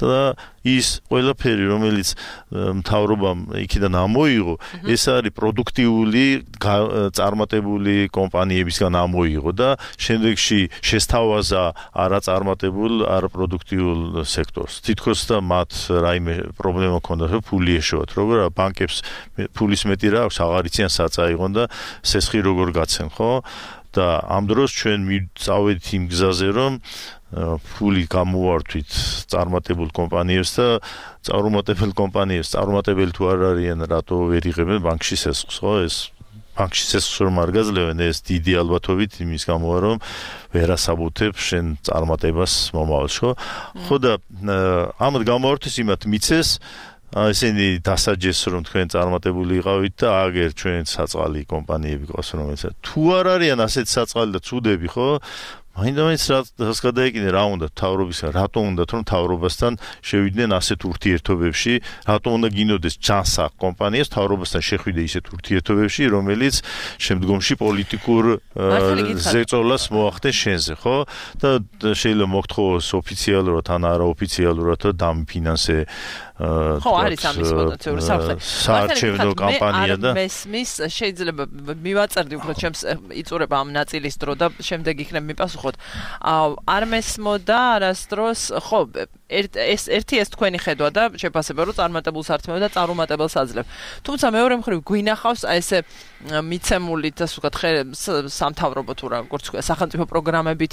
და ის ყველაფერი რომელიც მთავრობამ იქიდან ამოიღო ეს არის პროდუქტიული წარმატებული კომპანიებისგან ამოიღო და შემდეგში შესთავაზა არაწარმატებულ არაპროდუქტიულ სექტორს თითქოს და მათ რაიმე პრობლემა ჰქონდათ რომ ფული ეშოვათ როგორ ბანკებს ფულის მეტი რა აქვს აღარ იციან საწაიღონ და სესხი როგორ გაცენ ხო და ამ დროს ჩვენ მივწავედით იმ გზაზე რომ ფული გამოვართვით წარმატებულ კომპანიებს და წარუმატებელ კომპანიებს წარუმატებელი თუ არ არიან რატო ვერ იღებენ ბანკში სესხს ხო ეს ბანკში სესხს რომ არ გაძლევენ ეს დიდი ალბათობით იმის გამოა რომ ვერასაბუთებ შენ წარმატებას მომავალს ხო ხო და ამათ გამოვართვის იმათ მიცეს ესენი დასაჯეს რომ თქვენ წარმატებული იყავით და აგერ ჩვენ საწყალი კომპანიები ყავს რომელიც თუ არ არიან ასეთ საწყალი და ცუდები ხო მაინდა-მაინც რაც გადაეკინე რა უნდა თავრობისა რატო უნდა რომ თავრობასთან შევიდნენ ასეთ ურთიერთობებში რატო უნდა გინოდეს ჯანსაღ კომპანიას თავრობასთან შეხვიდე ისეთ ურთიერთობებში რომელიც შემდგომში პოლიტიკურ ზეწოლას მოახდენ შენზე ხო და შეიძლება მოგთხოვოს ოფიციალურად ან არაოფიციალურად დამფინანსე ხო არის ამის პოტენციური საფრთხე საარჩევნო კამპანია და მესმის შეიძლება მივაწერდი უფრო ჩემს იწურება ამ ნაწილის დრო და შემდეგ იქნებ მიპასუხოთ არ მესმოდა არასდროს ხო ეს ერთი ეს თქვენი ხედვა და შეფასება რომ წარმატებულ სარწმუნო და წარუმატებელს აძლევ თუმცა მეორე მხრივ გვინახავს აი ესე მიცემული ასე ვთქვათ სამთავრობო თუ როგორც თქვა სახელმწიფო პროგრამებით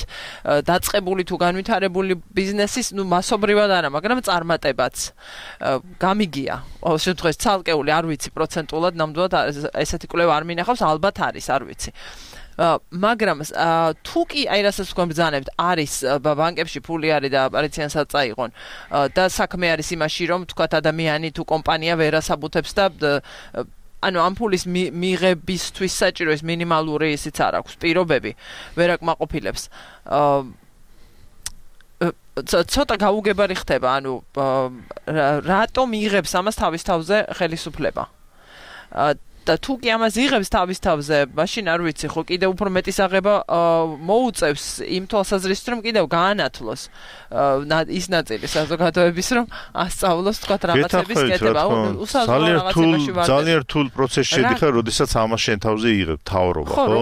დაწყებული თუ განვითარებული ბიზნესის ნუ მასობრივად არა მაგრამ წარმატებაც გამიგია ყოველ შემთხვევაში ცალკეული არ ვიცი პროცენტულად ნამდვილად ესეთი კვლევა არ მინახავს ალბათ არის არ ვიცი მაგრამ თუ კი აი რასაც თქვენ ბრძანებთ არის ბანკებში ფული არის და აპარიციანსაც წაიღონ და საქმე არის იმაში რომ თქვათ ადამიანი თუ კომპანია ვერ ასაბუთებს და ანუ ამ ფულის მიღებისთვის საჭირო ეს მინიმალური ისიც არ აქვს პირობები ვერ აკმაყოფილებს ცოტა გაუგებარი ხდება ანუ რატომ იღებს ამას თავის თავზე ხელისუფლება და თუ კი ამას იღებს თავის თავზე მაშინ არ ვიცი ხო კიდევ უფრო მეტის აღება მოუწევს იმ თვალსაზრისით რომ კიდევ გაანათლოს ის ნაწილი საზოგადოების რომ ასწავლოს თქვათ რაღაცების კეთება უსაზღვრო რაღაცებაში ვარ ძალიან რთულ პროცესში შედიხარ როდესაც ამას შენ თავზე იღებ თავრობა ხო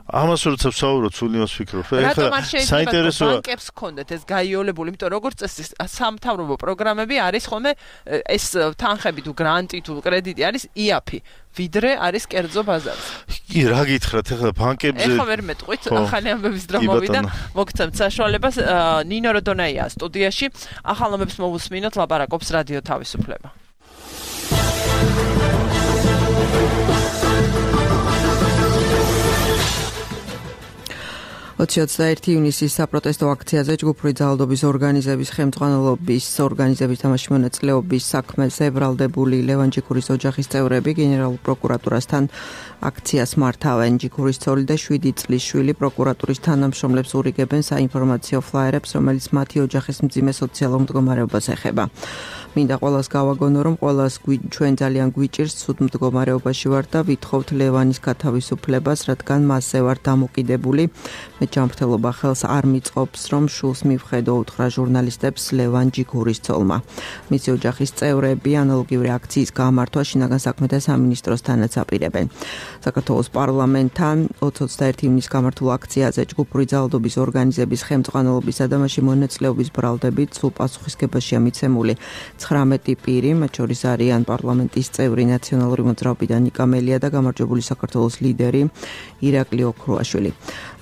ამას როცა ვსაუბრობ სულ იმას ვფიქრობ ეხლა საინტერესოა ბანკებს ჰქონდეთ ეს გაიოლებული იმიტომ როგორც წესი სამთავრობო პროგრამები არის ხოლმე ეს თანხები თუ გრანტი თუ კრედიტი არის იაფი ვიდრე არის კერძო ბაზარზე კი რა გითხრათ ეხლა ბანკებზე ეხლა ვერ მეტყვით ახალი ამბების დრო მოვიდა მოგცემთ საშუალებას ნინო როდონაია სტუდიაში ახალ ამბებს მოვუსმინოთ ლაპარაკობს რადიო თავისუფლება ოცი ოცდაერთი ივნისის საპროტესტო აქციაზე ჯგუფური ძალადობის ორგანიზების ხელმძღვანელობის ორგანიზების თამაში მონაწილეობის საქმეზე ბრალდებული ლევან ჯიქურის ოჯახის წევრები გენერალურ პროკურატურასთან აქციას მართავენ. ჯიქურის ცოლი და შვიდი წლის შვილი პროკურატურის თანამშრომლებს ურიგებენ საინფორმაციო ფლაიერებს, რომელიც მათი ოჯახის მძიმე სოციალურ მდგომარეობას ეხება. მინდა ყველას გავაგონო, რომ ყველას ჩვენ ძალიან გვიჭირს ცუდ მდგომარეობაში ვართ და ვითხოვთ ლევანის გათავისუფლებას, რადგან მასზე ვართ დამოკიდებული. მე ჯანმრთელობა ხელს არ მიწყობს, რომ შულს მივხედო უთხრა ჟურნალისტებს ლევან ჯიქურის ცოლმა. მისი ოჯახის წევრები ანალოგიური აქციის გამართვა შინაგან საქმეთა სამინისტროსთანაც აპირებენ. საქართველოს პარლამენტთან ოცი ოცდაერთი ივნისის გამართულ აქციაზე ჯგუფური ძალადობის ორგანიზების ხელმძღვანელობისა და მასში მონაწილეობის ბრალდებით სულ პასუხისგებაშია მიცემული ცხრამეტი პირი, მათ შორის არიან პარლამენტის წევრი ნაციონალური მოძრაობიდან ნიკა მელია და გამარჯვებული საქართველოს ლიდერი ირაკლი ოქრუაშვილი.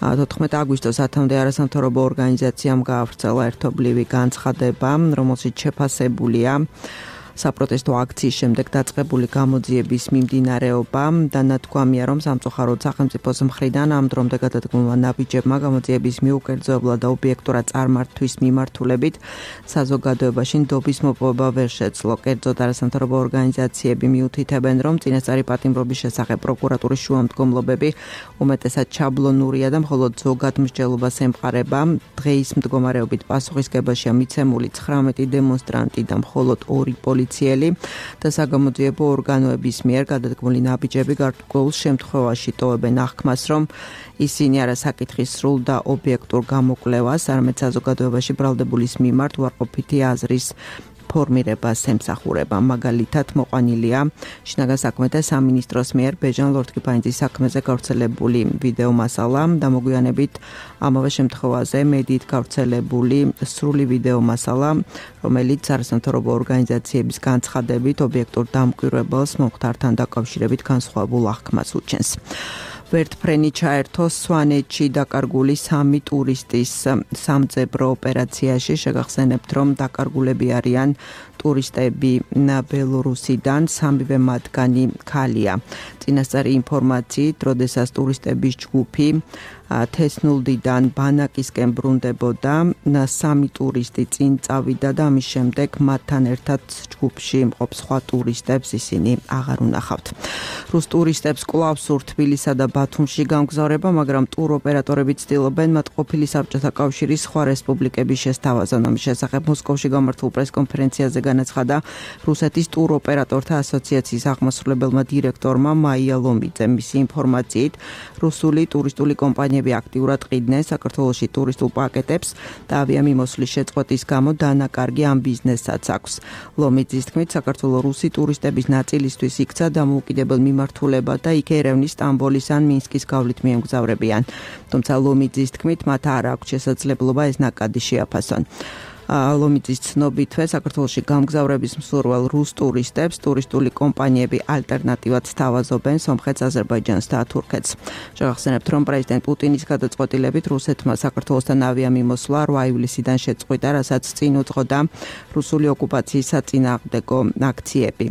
თოთხმეტი აგვისტოს ათამდე არასამთავრობო ორგანიზაციამ გაავრცელა ერთობლივი განცხადება, რომელშიც შეფასებულია საპროტესტო აქციის შემდეგ დაწყებული გამოძიების მიმდინარეობა და ნათქვამია, რომ სამწუხაროდ სახელმწიფოს მხრიდან ამ დრომდე გადადგმულმა ნაბიჯებმა გამოძიების მიუკერძოებლა და ობიექტურად წარმართვის მიმართულებით საზოგადოებაში ნდობის მოპოვება ვერ შეძლო. კერძოდ არასამთავრობო ორგანიზაციები მიუთითებენ, რომ წინასწარი პატიმრობის შესახებ პროკურატურის შუამდგომლობები უმეტესად შაბლონურია და მხოლოდ ზოგად მსჯელობას ემყარება. დღეის მდგომარეობით პასუხისგებაშია მიცემული ცხრამეტი დემონსტრანტი და მხოლოდ ორი პოლიციელი და საგამოძიებო ორგანოების მიერ გადადგმული ნაბიჯები გარკვეულ შემთხვევაში ტოვებენ აღქმას, რომ ისინი არა საკითხის სრულ და ობიექტურ გამოკვლევას, არამედ საზოგადოებაში ბრალდებულის მიმართ უარყოფითი აზრის ფორმირებას ემსახურება. მაგალითად მოყვანილია შინაგან საქმეთა სამინისტროს მიერ ბეჟან ლორთქიფანიძის საქმეზე გავრცელებული ვიდეო მასალა და მოგვიანებით ამავე შემთხვევაზე მედიით გავრცელებული სრული ვიდეო მასალა, რომელიც არასამთავრობო ორგანიზაციების განცხადებით ობიექტურ დამკვირვებელს მომხდართან დაკავშირებით განსხვავებულ აღქმას უჩენს. ვერტფრენი ჩაერთო სვანეთში დაკარგული სამი ტურისტის სამძებრო ოპერაციაში. შეგახსენებთ, რომ დაკარგულები არიან ტურისტები ბელორუსიდან, სამივე მათგანი ქალია. წინასწარი ინფორმაციით, როდესაც ტურისტების ჯგუფი თესნულდიდან ბანაკისკენ ბრუნდებოდა, სამი ტურისტი წინ წავიდა და ამის შემდეგ მათთან ერთად ჯგუფში მყოფ სხვა ტურისტებს ისინი აღარ უნახავთ. რუს ტურისტებს კვლავ სურთ თბილისსა და ბათუმში გამგზავრება, მაგრამ ტუროპერატორები ცდილობენ მათ ყოფილი საბჭოთა კავშირის სხვა რესპუბლიკების შესთავაზონ. ამის შესახებ მოსკოვში გამართულ პრესკონფერენციაზე განაცხადა რუსეთის ტუროპერატორთა ასოციაციის აღმასრულებელმა დირექტორმა მაია ლომიძემ. მისი ინფორმაციით, რუსული ტურისტული კომპანიები აქტიურად ყიდნენ საქართველოში ტურისტულ პაკეტებს და ავიამიმოსვლის შეწყვეტის გამო დანაკარგი ამ ბიზნესსაც აქვს. ლომიძის თქმით, საქართველოს რუსი ტურისტების ნაწილისთვის იქცა დამოუკიდებელ მიმართულება და იქ ერევნის, სტამბოლის ან მინსკის გავლით მიემგზავრებიან. თუმცა ლომიძის თქმით, მათ არ აქვს შესაძლებლობა ეს ნაკადი შეაფასონ. ლომიძის ცნობითვე საქართველოში გამგზავრების მსურველ რუს ტურისტებს ტურისტული კომპანიები ალტერნატივად სთავაზობენ სომხეთს, აზერბაიჯანს და თურქეთს. შევახსენებთ, რომ პრეზიდენტ პუტინის გადაწყვეტილებით რუსეთმა საქართველოსთან ავიამიმოსვლა რვა ივლისიდან შეწყვიტა, რასაც წინ უძღოდა რუსული ოკუპაციის საწინააღმდეგო აქციები.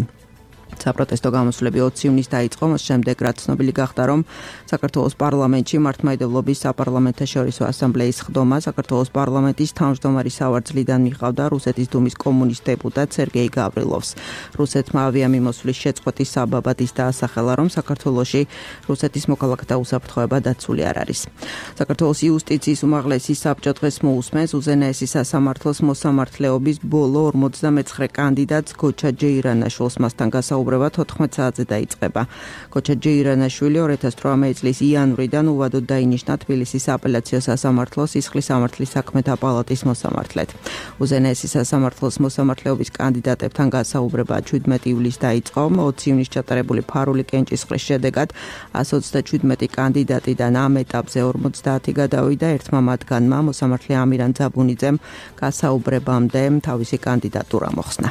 საპროტესტო გამოსვლები ოცი ივნისს დაიწყო, მას შემდეგ რაც ცნობილი გახდა, რომ საქართველოს პარლამენტში მართლმადიდებლობის საპარლამენტაშორისო ასამბლეის ხდომა საქართველოს პარლამენტის თავმჯდომარის სავარძლიდან მიყავდა რუსეთის დუმის კომუნისტ დეპუტატ სერგეი გავრილოვს. რუსეთმა ავიამიმოსვლის შეწყვეტის საბაბად ის დაასახელა, რომ საქართველოში რუსეთის მოქალაქეთა უსაფრთხოება დაცული არ არის. საქართველოს იუსტიციის უმაღლესი საბჭო დღეს მოусმენს უზენაესი სასამართლოს მოსამართლეობის ბოლო ორმოცდამეცხრე კანდიდატს გოჩა ჯეირანაშვილს მასთან გასაუბრება თოთხმეტ საათზე დაიწყება. გოჩა ჯეირანაშვილი ორი ათას ოთხ წლის იანვრიდან უვადოდ დაინიშნა თბილისის აპელაციო სასამართლოს სისხლის სამართლის საქმეთა პალატის მოსამართლედ. უზენაესი სასამართლოს მოსამართლეობის კანდიდატებთან გასაუბრება შვიდმეტი ივლისს დაიწყო. ოცი ივნისს ჩატარებული ფარული კენჭისყრის შედეგად ას ოცდაშვიდმეტი კანდიდატიდან ამ ეტაპზე ორმოცდაათი გადავიდა, ერთმა მათგანმა მოსამართლე ამირან ძაბუნიძემ გასაუბრებამდე თავისი კანდიდატურა მოხსნა.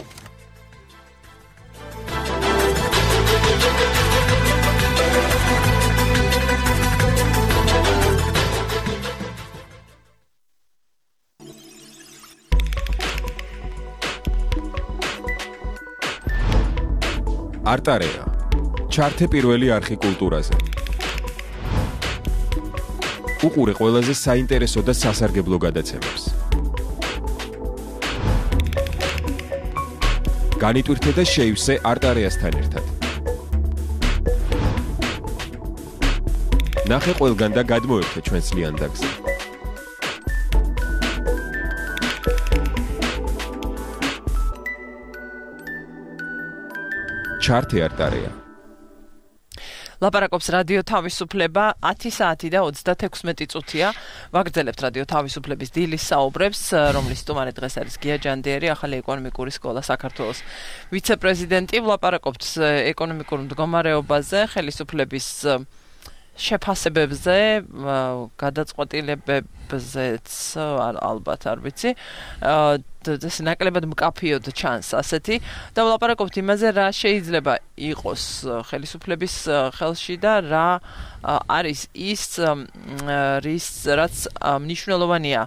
არტარეა ჩართე პირველი არხი კულტურაზე. უყურე ყველაზე საინტერესო და სასარგებლო გადაცემებს. განიტვირთე და შეივსე არტარეასთან ერთად. ნახე ყველგან და გადმოერთე ჩვენს ლიანდაგზე. ჩართე არტარეა. ლაპარაკობს რადიო თავისუფლება ათი საათი და ოცდათექვსმეტი წუთია. ვაგრძელებთ რადიო თავისუფლების დილის საუბრებს, რომლის სტუმარი დღეს არის გია ჯანდიერი, ახალი ეკონომიკური სკოლა საქართველოს ვიცე-პრეზიდენტი. ვლაპარაკობთ ეკონომიკურ მდგომარეობაზე, ხელისუფლების შეფასებებზე, გადაწყვეტილებებზეც ალბათ არ ვიცი. ეს ნაკლებად მკაფიოდ ჩანს ასეთი და ვლაპარაკობთ იმაზე, რა შეიძლება იყოს ხელისუფლების ხელში და რა არის ის რის რაც მნიშვნელოვანია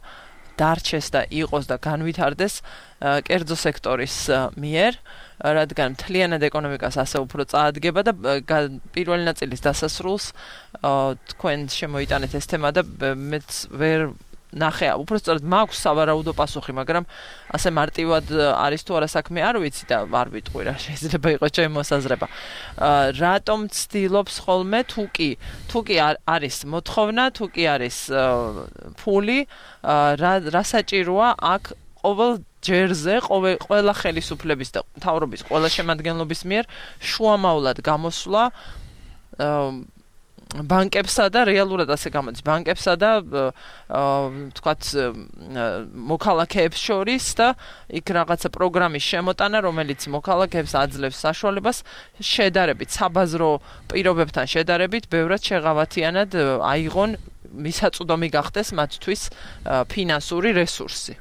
დარჩეს და იყოს და განვითარდეს კერძო სექტორის მიერ, რადგან მთლიანად ეკონომიკას ასე უფრო წაადგება და პირველი ნაწილის დასასრულს თქვენ შემოიტანეთ ეს თემა და მეც ვერ ნახე, უბრალოდ მაქვს სავარაუდო პასუხი, მაგრამ ასე მარტივად არის თუ არა საქმე არ ვიცი და არ ვიტყვი რა შეიძლება იყოს ჩემი მოსაზრება. რატომ ცდილობს ხოლმე თუ კი თუ კი არის მოთხოვნა, თუ კი არის ფული, რა საჭიროა აქ ყოველ ჯერზე, ყველა ხელისუფლების და მთავრობის ყველა შემადგენლობის მიერ შუამავლად გამოსვლა ბანკებსა და რეალურად ასე გამოდის ბანკებსა და თქვათ მოქალაქეებს შორის და იქ რაღაცა პროგრამის შემოტანა, რომელიც მოქალაქეებს აძლევს საშუალებას შედარებით საბაზრო პირობებთან შედარებით ბევრად შეღავათიანად აიღონ მისაწვდომი გახდეს მათთვის ფინანსური რესურსი.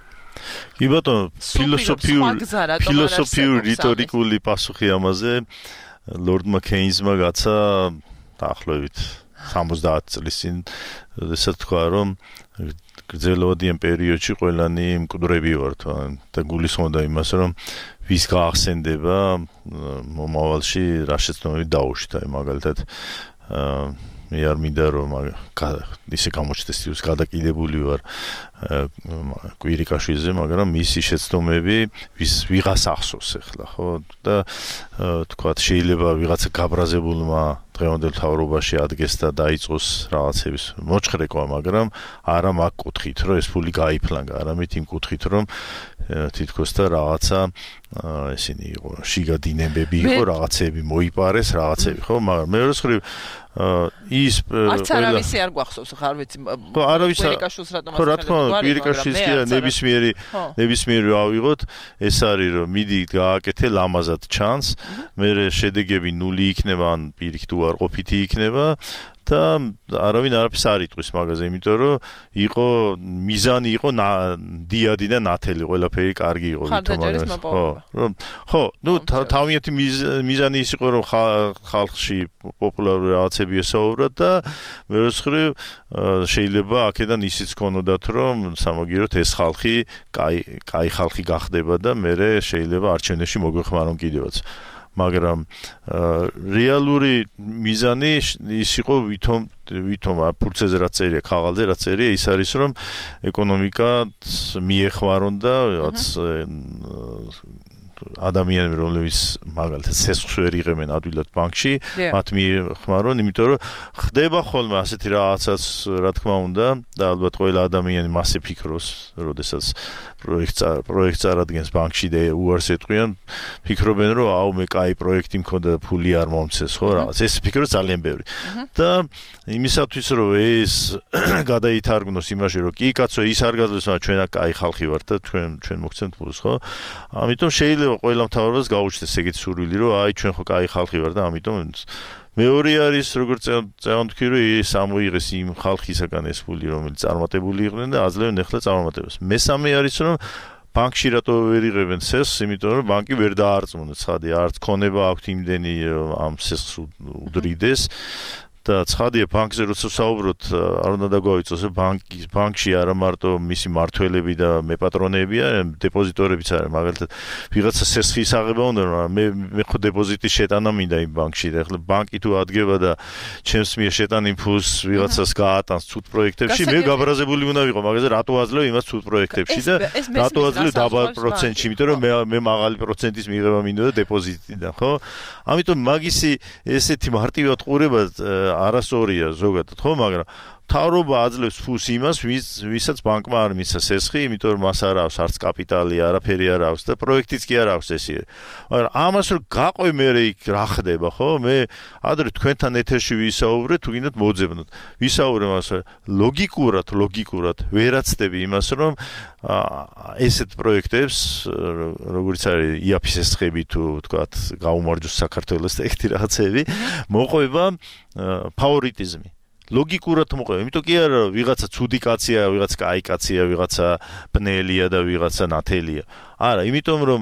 კი ბატონო, ფილოსოფიური ფილოსოფიური რიტორიკული პასუხი ამაზე ლორდმა კეინზმა გაცა დაახლოებით სამოცდაათი წლის წინ, როდესაც თქვა, რომ გრძელვადიან პერიოდში ყველანი მკვდრები ვართ და გულისხმობდა იმას, რომ ვის გაახსენდება მომავალში რა შეცდომები დაუშვით, აი მაგალითად მე არ მინდა რომ ისე გამოჩნდეს ის გადაკიდებული ვარ კვირიკაშვილზე, მაგრამ მისი შეცდომები ვის ვიღას ახსოვს ახლა, ხო? და თქვათ შეიძლება ვიღაცა გაბრაზებულმა დღევანდელ მთავრობაში ადგეს და დაიწყოს რაღაცების მოჩხრეკვა, მაგრამ არა მაგ კუთხით, რომ ეს ფული გაიფლანგა, არამედ იმ კუთხით, რომ თითქოს და რაღაცა ესენი იყო, შიგა დინებები იყო, რაღაცები მოიპარეს, რაღაცები, ხო? მაგრამ მეორე მხრივ ის არც არავისი არ გვახსოვს, ხა არ ვიცი. კვირიკაშვილს რატომ ხო, რა თქმა უნდა, კვირიკაშვილს ნებისმიერი ნებისმიერი ავიღოთ, ეს არის რომ მიდი გააკეთე ლამაზად ჩანს, მე შედეგები ნული იქნება, ან პირიქით უარყოფითი იქნება და არავინ არაფერს არ იტყვის მაგაზე, იმიტომ რომ იყო მიზანი იყო დიადი და ნათელი, ყველაფერი კარგი იყო ვითომ მაგას. ხო, რომ ხო, ნუ თავიანთი მიზანი ის იყო, რომ ხალხში პოპულარული რაღაცები ესაუბრათ და მეორე მხრივ შეიძლება აქედან ისიც ქონოდათ, რომ სამაგიეროდ ეს ხალხი კაი კაი ხალხი გახდება და მე შეიძლება არჩევნებში მოგვეხმარონ კიდევაც. მაგრამ რეალური მიზანი ის იყო ვითომ ვითომ ფურცეზე რაც წერია, ქაღალზე რაც წერია, ის არის რომ ეკონომიკა მიეხმარონ და რაც ადამიანები რომლებიც მაგალითად სესხს ვერ იღებენ ადვილად ბანკში, მათ მიეხმარონ, იმიტომ რომ ხდება ხოლმე ასეთი რაღაცაც, რა თქმა უნდა, და ალბათ ყველა ადამიანი მასე ფიქრობს, როდესაც პროექტს პროექტს წარადგენს ბანკში და უარს ეტყვიან, ფიქრობენ რომ აუ მე კაი პროექტი მქონდა და ფული არ მომცეს, ხო რაღაც. ეს ფიქრობს ძალიან ბევრი. და იმისათვის რომ ეს გადაითარგმნოს იმაში რომ კი კაცო ის არ გაძლევს, მაგრამ ჩვენ კაი ხალხი ვართ და ჩვენ ჩვენ მოგცემთ ფულს, ხო? ამიტომ შეიძლება ყველა მთავრობას გაუჩნდეს ეგეთი სურვილი, რომ აი ჩვენ ხო კაი ხალხი ვარ და ამიტომ მეორე არის როგორც წევანდქვი რომ ის ამოიღეს იმ ხალხისაგან ეს ფული რომელიც წარმატებული იყვნენ და აძლევენ ახლა წარმატებას. მესამე არის რომ ბანკში რატო ვერ იღებენ სესხს, იმიტომ რომ ბანკი ვერ დაარწმუნებს, ხადი არც ქონება აქვს იმდენი ამ სესხს უდრიდეს და ცხადია ბანკზე როცა საუბრობთ არ უნდა დაგვავიწოს ბანკი ბანკში არა მარტო მისი მართველები და მეპატრონეებია, დეპოზიტორებიც არის, მაგალითად ვიღაცა სესხის აღება უნდა, მაგრამ მე მე ხო დეპოზიტის შეტანა მინდა იმ ბანკში და ახლა ბანკი თუ ადგება და ჩემს მიერ შეტანილ ფულს ვიღაცას გაატანს ცუდ პროექტებში, მე გაბრაზებული უნდა ვიყო, მაგაზე რატო აძლევ იმას ცუდ პროექტებში და რატო აძლევ დაბალ პროცენტში, იმიტომ რომ მე მე მაღალი პროცენტის მიღება მინდოდა დეპოზიტიდან, ხო? ამიტომ მაგისი ესეთი მარტივად ყურება არასწორია ზოგადად, ხო, მაგრამ მთავრობა აძლევს ფულს იმას, ვისაც ბანკმა არ მისცა სესხი, იმიტომ რომ მას არ აქვს არც კაპიტალი, არაფერი არ აქვს და პროექტიც კი არ აქვს ესე. მაგრამ ამას რომ გაყვე მე იქ რა ხდება, ხო? მე ადრე თქვენთან ეთერში ვისაუბრე, თუ გინდათ მოძებნოთ. ვისაუბრე მას ლოგიკურად, ლოგიკურად ვერაცდები იმას, რომ ესეთ პროექტებს, როგორც არის იაფის სესხები თუ თქვათ, გაუმარჯოს საქართველოს და ეგეთი რაღაცები, მოყვება ფავორიტიზმი. ლოგიკურად მოყვება, იმიტომ კი არა ვიღაცა ცუდი კაცია, ვიღაცა კაი კაცია, ვიღაცა ბნელია და ვიღაცა ნათელია. არა, იმიტომ რომ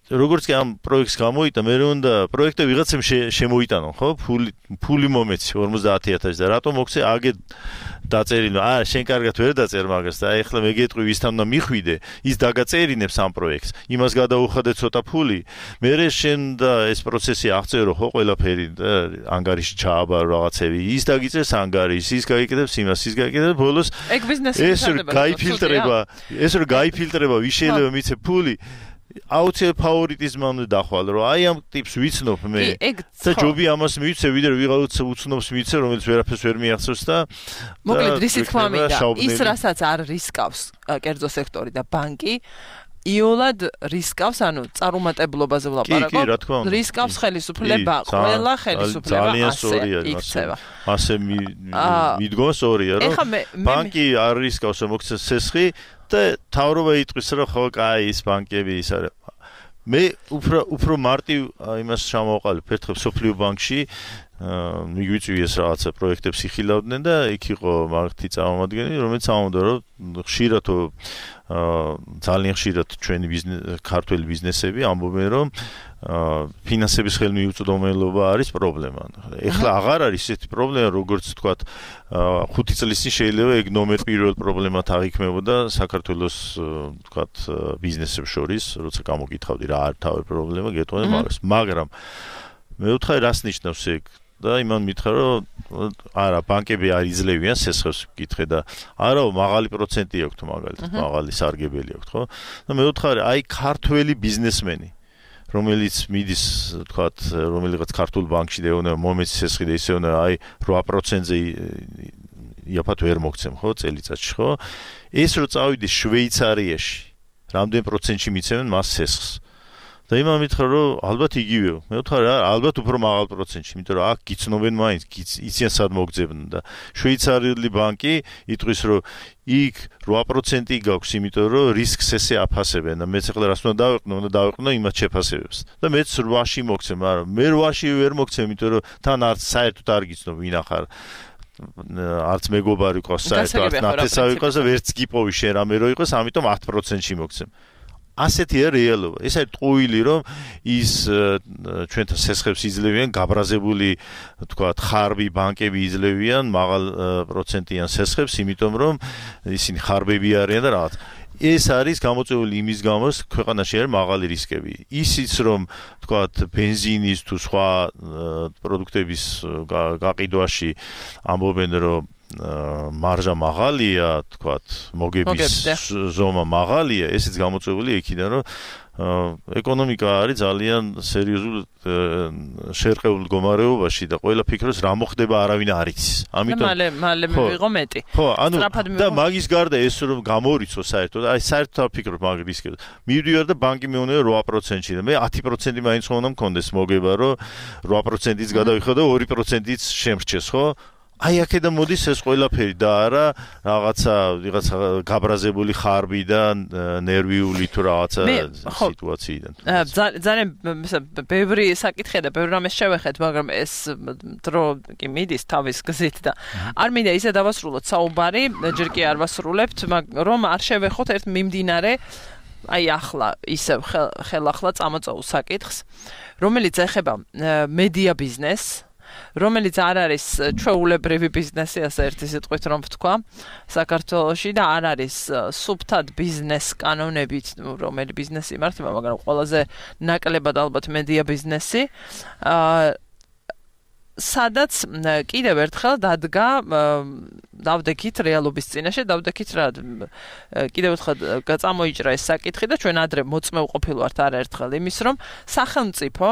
როგორც კი ამ პროექტს გამოიტა, მე უნდა პროექტი ვიღაცამ შემოიტანო, ხო? ფული ფული მომეცი ორმოცდაათი ათასი და რატომ მოგცე აგე დაწერინო. აა, შენ კარგად ვერ დაწერ მაგას და ეხლა მე გეტყვი ვისთან უნდა მიხვიდე, ის დაგაწერინებს ამ პროექტს. იმას გადაუხადე ცოტა ფული. მე შენ და ეს პროცესი აღწერო, ხო, ყველაფერი და ანგარიში ჩააბარო რაღაცები. ის დაგიწერს ანგარიშს, ის გაიკეთებს იმას, ის გაიკეთებს ბოლოს. ეგ ბიზნესი ეს გაიფილტრება, ეს რომ გაიფილტრება, ვის შეიძლება მიცე ფული. აუცილებლად ფავორიტიზმმა უნდა დახვალ, რომ აი ამ ტიპს ვიცნობ მე და ჯობი ამას მივიცე, ვიდრე ვიღაცა უცნობს მივიცე, რომელიც ვერაფერს ვერ მიახსოვს და მოკლედ რისი თქმა მინდა, ის რასაც არ რისკავს კერძო სექტორი და ბანკი იოლად რისკავს, ანუ წარუმატებლობაზე ვლაპარაკობ, რისკავს ხელისუფლება, ყველა ხელისუფლება ასე იქცევა. ასე მიდგოს ორია, რომ ბანკი არ რისკავს, რომ მოგცეს სესხი და თავრობა იტყვის, რომ ხო, კაი, ის ბანკები ის არის. მე უფრო უფრო მარტივ იმას ჩამოვყალიბ, ერთხელ სოფლიო ბანკში მიგვიწვიეს რაღაცა პროექტებს იხილავდნენ და იქ იყო მაგათი წარმომადგენელი, რომელიც ამბობდა, რომ ხშირად ძალიან ხშირად ჩვენი ქართველი ბიზნესები ამბობენ, რომ ფინანსების ხელმიუწვდომელობა არის პრობლემა. ეხლა აღარ არის ესეთი პრობლემა, როგორც თქვათ, ხუთი წლის წინ შეიძლება ეგ ნომერ პირველ პრობლემად აღიქმებოდა საქართველოს თქვათ ბიზნესებს შორის, როცა გამოკითხავდი რა არის თავი პრობლემა, გეტყვიან მაგას. მაგრამ მე ვთხარი რას ნიშნავს ეგ? და იმან მითხრა, რომ არა, ბანკები არ იძლევიან სესხებს ვკითხე და არა, მაღალი პროცენტი აქვთ მაგალითად, მაღალი სარგებელი აქვთ, ხო? და მე ვთხარი, აი ქართველი ბიზნესმენი, რომელიც მიდის, თქვათ, რომელიღაც ქართულ ბანკში და ეუბნება მომეცი სესხი და ისე უნდა აი რვა პროცენტზე იაფად ვერ მოგცემ, ხო, წელიწადში, ხო? ეს რო წავიდეს შვეიცარიაში, რამდენ პროცენტში მიცემენ მას სესხს? და იმან მითხრა, რომ ალბათ იგივეო. მე ვთქვი, ალბათ უფრო მაღალ პროცენტში, იმიტომ რომ აქ გიცნობენ მაინც, იციან სად მოგძებნ და შვეიცარიული ბანკი იტყვის, რომ იქ რვა პროცენტი გაქვს, იმიტომ რომ რისკს ესე აფასებენ და მეც ახლა რას უნდა დავეყნო, უნდა დავეყნო იმას შეფასებებს. და მეც რვაში მოგცემ, მაგრამ მე რვაში ვერ მოგცემ, იმიტომ რომ თან არც საერთოდ არ გიცნობ ვინ ახარ. არც მეგობარი ყავს, საერთოდ არც ნათესავი ყავს და ვერც გიპოვი შენ რამე რო იყოს, ამიტომ ათ პროცენტში მოგცემ. ასეთია რეალობა. ეს არის ტყუილი, რომ ის ჩვენთან სესხებს იძლევიან, გაბრაზებული, თქვათ, ხარბი ბანკები იძლევიან მაღალ პროცენტიან სესხებს, იმიტომ რომ ისინი ხარბები არიან და რაღაც. ეს არის გამოწვეული იმის გამო, ქვეყანაში არის მაღალი რისკები. ისიც რომ თქვათ ბენზინის თუ სხვა პროდუქტების გაყიდვაში ამბობენ რომ მარჟა მაღალია, თქვათ მოგების ზომა მაღალია, ესეც გამოწვეული იქიდან რომ ეკონომიკა არის ძალიან სერიოზულ შერყეულ მდგომარეობაში და ყველა ფიქრობს რა მოხდება არავინ არ იცის. ამიტომ მალე მალე მივიღო მეტი. ხო, ანუ და მაგის გარდა ეს რომ გამორიცო საერთოდ, აი საერთოდ ფიქრობ მაგ რისკებს. მივიდივარ და ბანკი მეუბნება რვა პროცენტში და მე ათი პროცენტი მაინც უნდა მქონდეს მოგება რომ რვა პროცენტიც გადავიხო და ორი პროცენტიც შემრჩეს, ხო? აი აქედან მოდის ეს ყველაფერი და არა რაღაცა ვიღაცა გაბრაზებული ხარბიდან ნერვიული თუ რაღაცა სიტუაციიდან. ძალიან ბევრი საკითხია და ბევრი რამეს შევეხეთ, მაგრამ ეს დრო კი მიდის თავის გზით და არ მინდა ისე დავასრულოთ საუბარი, ჯერ კი არ ვასრულებთ, რომ არ შევეხოთ ერთ მიმდინარე აი ახლა ისევ ხელახლა წამოწეულ საკითხს, რომელიც ეხება მედია ბიზნესს, რომელიც არ არის ჩვეულებრივი ბიზნესი, ასე ერთი სიტყვით რომ ვთქვა, საქართველოში და არ არის სუფთად ბიზნეს კანონებით, რომელი ბიზნესი იმართება, მაგრამ ყველაზე ნაკლებად ალბათ მედია ბიზნესი, სადაც კიდევ ერთხელ დადგა დავდექით რეალობის წინაშე, დავდექით რა კიდევ ერთხელ გაწამოიჭრა ეს საკითხი და ჩვენ ადრე მოწმეულ ყოფილვართ არაერთხელ იმის, რომ სახელმწიფო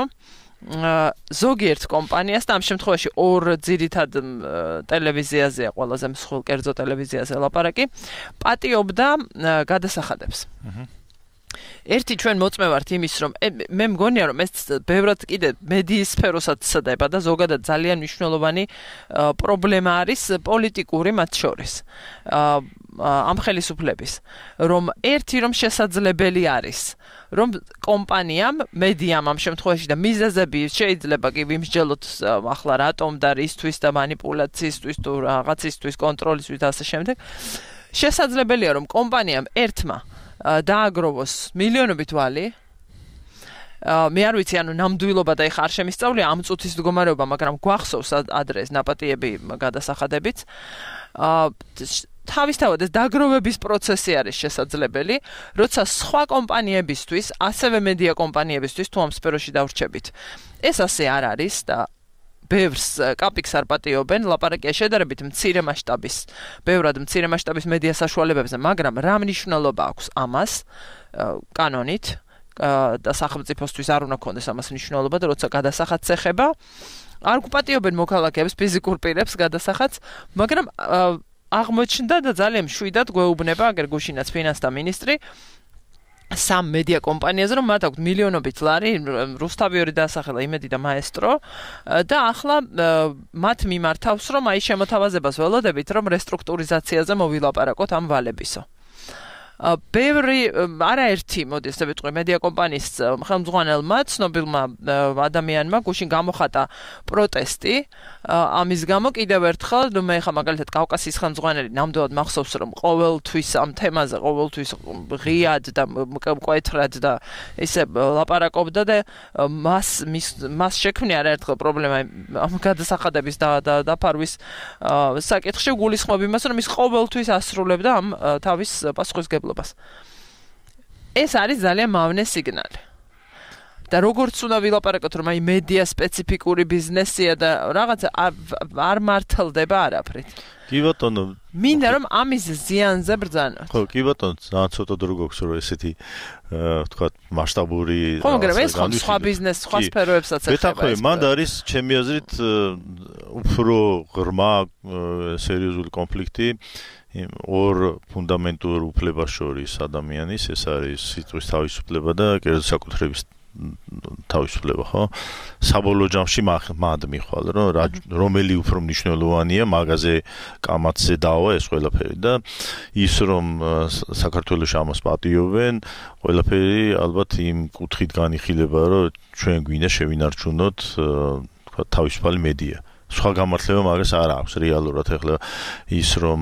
ზოგიერთ კომპანიას და ამ შემთხვევაში ორ ძირითად ტელევიზიაზეა ყველაზე მსხვილ კერძო ტელევიზიაზე ლაპარაკი, პატიობდა გადასახადებს. ერთი ჩვენ მოწმევართ იმის, რომ მე მგონია, რომ ეს ბევრად კიდე მედიის სფეროსაც ცდება და ზოგადად ძალიან მნიშვნელოვანი პრობლემა არის პოლიტიკური მათ შორის. ამ ხელისუფლების, რომ ერთი რომ შესაძლებელი არის, რომ კომპანიამ, მედიამ ამ შემთხვევაში და მიზეზები შეიძლება კი ვიმსჯელოთ ახლა რატომ და რისთვის და მანიპულაციისთვის თუ რაღაცისთვის კონტროლისთვის და ასე შემდეგ. შესაძლებელია რომ კომპანიამ ერთმა დააგროვოს მილიონობით ვალი. მე არ ვიცი, ანუ ნამდვილობა და ეხა არ შემისწავლია ამ წუთის მდგომარეობა, მაგრამ გვახსოვს ადრეს ნაპატიები გადასახადებიც. თავისთავად ეს დაგროვების პროცესი არის შესაძლებელი, როცა სხვა კომპანიებისთვის, ასევე მედია კომპანიებისთვის თუ ამ სფეროში დავრჩებით. ეს ასე არ არის და ბევრს კაპიკს არ პატიობენ, ლაპარაკია შედარებით მცირე მასშტაბის, ბევრად მცირე მასშტაბის მედია საშუალებებზე, მაგრამ რა მნიშვნელობა აქვს ამას კანონით და სახელმწიფოსთვის არ უნდა ქონდეს ამას მნიშვნელობა და როცა გადასახადს ეხება, არ გპატიობენ მოქალაქეებს, ფიზიკურ პირებს გადასახადს, მაგრამ აღმოჩნდა და ძალიან მშვიდად გვეუბნება აგერ გუშინაც ფინანსთა მინისტრი სამ მედია კომპანიაზე, რომ მათ აქვთ მილიონობით ლარი, რუსთავიორი დაასახელა, იმედი და მაესტრო და ახლა მათ მიმართავს, რომ აი შემოთავაზებას ველოდებით, რომ რესტრუქტურიზაციაზე მოვილაპარაკოთ ამ ვალებისო. ბევრი არაერთი მოდი ესე ვიტყვი მედია კომპანიის ხელმძღვანელმა ცნობილმა ადამიანმა გუშინ გამოხატა პროტესტი ამის გამო კიდევ ერთხელ მე ხა მაგალითად კავკასიის ხელმძღვანელი ნამდვილად მახსოვს რომ ყოველთვის ამ თემაზე ყოველთვის ღიად და მკვეთრად და ისე ლაპარაკობდა და მას მას შექმნია არაერთხელ პრობლემა ამ გადასახადების და დაფარვის საკითხში გულისხმობ იმას რომ ის ყოველთვის ასრულებდა ამ თავის პასუხისგებლობას. ეს არის ძალიან მავნე სიგნალი. და როგორც უნდა ვილაპარაკოთ, რომ აი მედია სპეციფიკური ბიზნესია და რაღაცა არ მართლდება არაფრით. კი ბატონო, მინდა რომ ამის ზიანზე ბრძანოთ. ხო, კი ბატონო, ძალიან ცოტა დრო გვაქვს რომ ესეთი ვთქვათ მასშტაბური ხო, მაგრამ ეს ხო სხვა ბიზნეს, სხვა სფეროებსაც ეხება. ბეთახოი, მანდ არის ჩემი აზრით უფრო ღრმა სერიოზული კონფლიქტი ორ ფუნდამენტურ უფლებას შორის ადამიანის, ეს არის სიტყვის თავისუფლება და კერძო საკუთრების თავისუფლება, ხო? საბოლოო ჯამში მად მიხვალ, რომ რომელი უფრო მნიშვნელოვანია, მაგაზე კამათზე დავა ეს ყველაფერი და ის რომ საქართველოში ამას პატიობენ, ყველაფერი ალბათ იმ კუთხით განიხილება, რომ ჩვენ გვინდა შევინარჩუნოთ, თქვა თავისუფალი მედია. სხვა გამართლება მაგას არ აქვს რეალურად ახლა ის რომ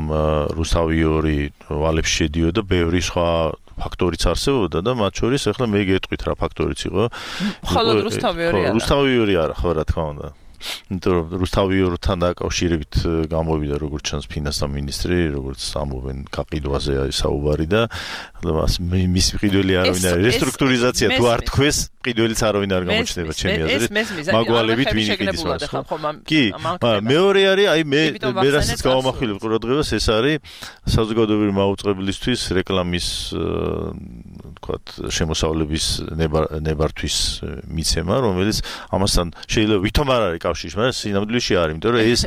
რუსთავიორი ვალებში შედიოდა ბევრი სხვა ფაქტორიც არსებობდა და მათ შორის ახლა მე გეტყვით რა ფაქტორიც იყო მხოლოდ რუსთავიორი არა რუსთავიორი არა ხო რა თქმა უნდა იმიტომ რომ რუსთავი ორთან დაკავშირებით გამოვიდა როგორც ჩანს ფინანსთა მინისტრი, როგორც ამოვენ გაყიდვაზე არის საუბარი და მის მყიდველი არავინ არის რესტრუქტურიზაცია თუ არ თქვეს მყიდველიც არავინ არ გამოჩნდება ჩემი აზრით მაგვალებით ვინ იყიდის მას კი მეორე არის აი მე მე რასაც გავამახვილებ ყურადღებას ეს არის საზოგადოებრივი მაუწყებლისთვის რეკლამის თქვათ შემოსავლების ნებართვის მიცემა რომელიც ამასთან შეიძლება ვითომ არ არის კავშირში მაგრამ სინამდვილეში არის იმიტომ რომ ეს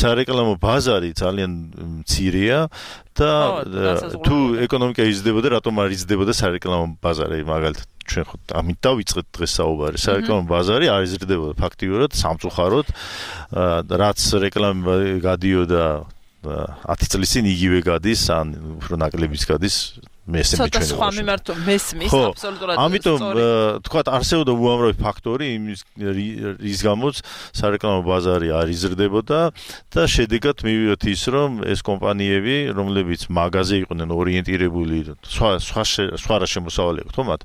სარეკლამო ბაზარი ძალიან მცირეა და თუ ეკონომიკა იზრდებოდა რატომ არ იზრდებოდა სარეკლამო ბაზარი მაგალითად ჩვენ ხო ამით დავიწყეთ დღეს საუბარი სარეკლამო ბაზარი არ იზრდებოდა ფაქტიურად სამწუხაროდ რაც რეკლამა გადიოდა ათი წლის წინ იგივე გადის ან უფრო ნაკლებიც გადის მესმის ჩვენ ცოტა სხვა მიმართო მესმის აბსოლუტურად ამიტომ თქვათ არსებობდა უამრავი ფაქტორი იმის რის გამოც სარეკლამო ბაზარი არ იზრდებოდა და შედეგად მივიღეთ ის რომ ეს კომპანიები რომლებიც მაღაზიაზე იყვნენ ორიენტირებული სხვა სხვა სხვა რა შემოსავალი აქვს თო მათ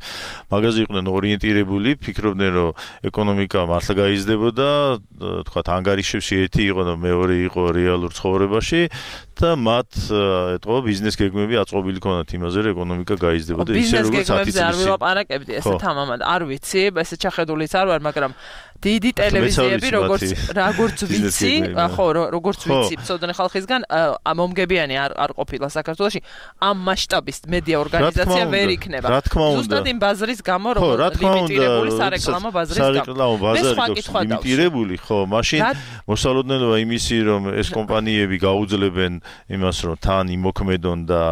მაღაზიაზე იყვნენ ორიენტირებული ფიქრობდნენ რომ ეკონომიკა მართლა გაიზრდებოდა თქვათ ანგარიშებში ერთი იყო და მეორე იყო რეალურ ცხოვრებაში და მათ ეტყობა ბიზნეს გეგმები აწყობილი ქონათ იმაზე ეკონომიკა გაიზრდებოდა ისე როგორც ათი წლის წინ. არ ვილაპარაკებდი ესეთ ამამად. არ ვიცი, ესე ჩახედულიც არ ვარ, მაგრამ დიდი ტელევიზიები როგორც როგორც ვიცი, ხო, როგორც ვიცი, ცოდნე ხალხისგან მომგებიანი არ არ ყოფილა საქართველოში ამ მასშტაბის მედია ორგანიზაცია ვერ იქნება. ზუსტად იმ ბაზრის გამო რომ ლიმიტირებული სარეკლამო ბაზრის გამო. სარეკლამო ბაზარი ლიმიტირებული, ხო, მაშინ მოსალოდნელობა იმისი რომ ეს კომპანიები გაუძლებენ იმას რომ თან იმოქმედონ და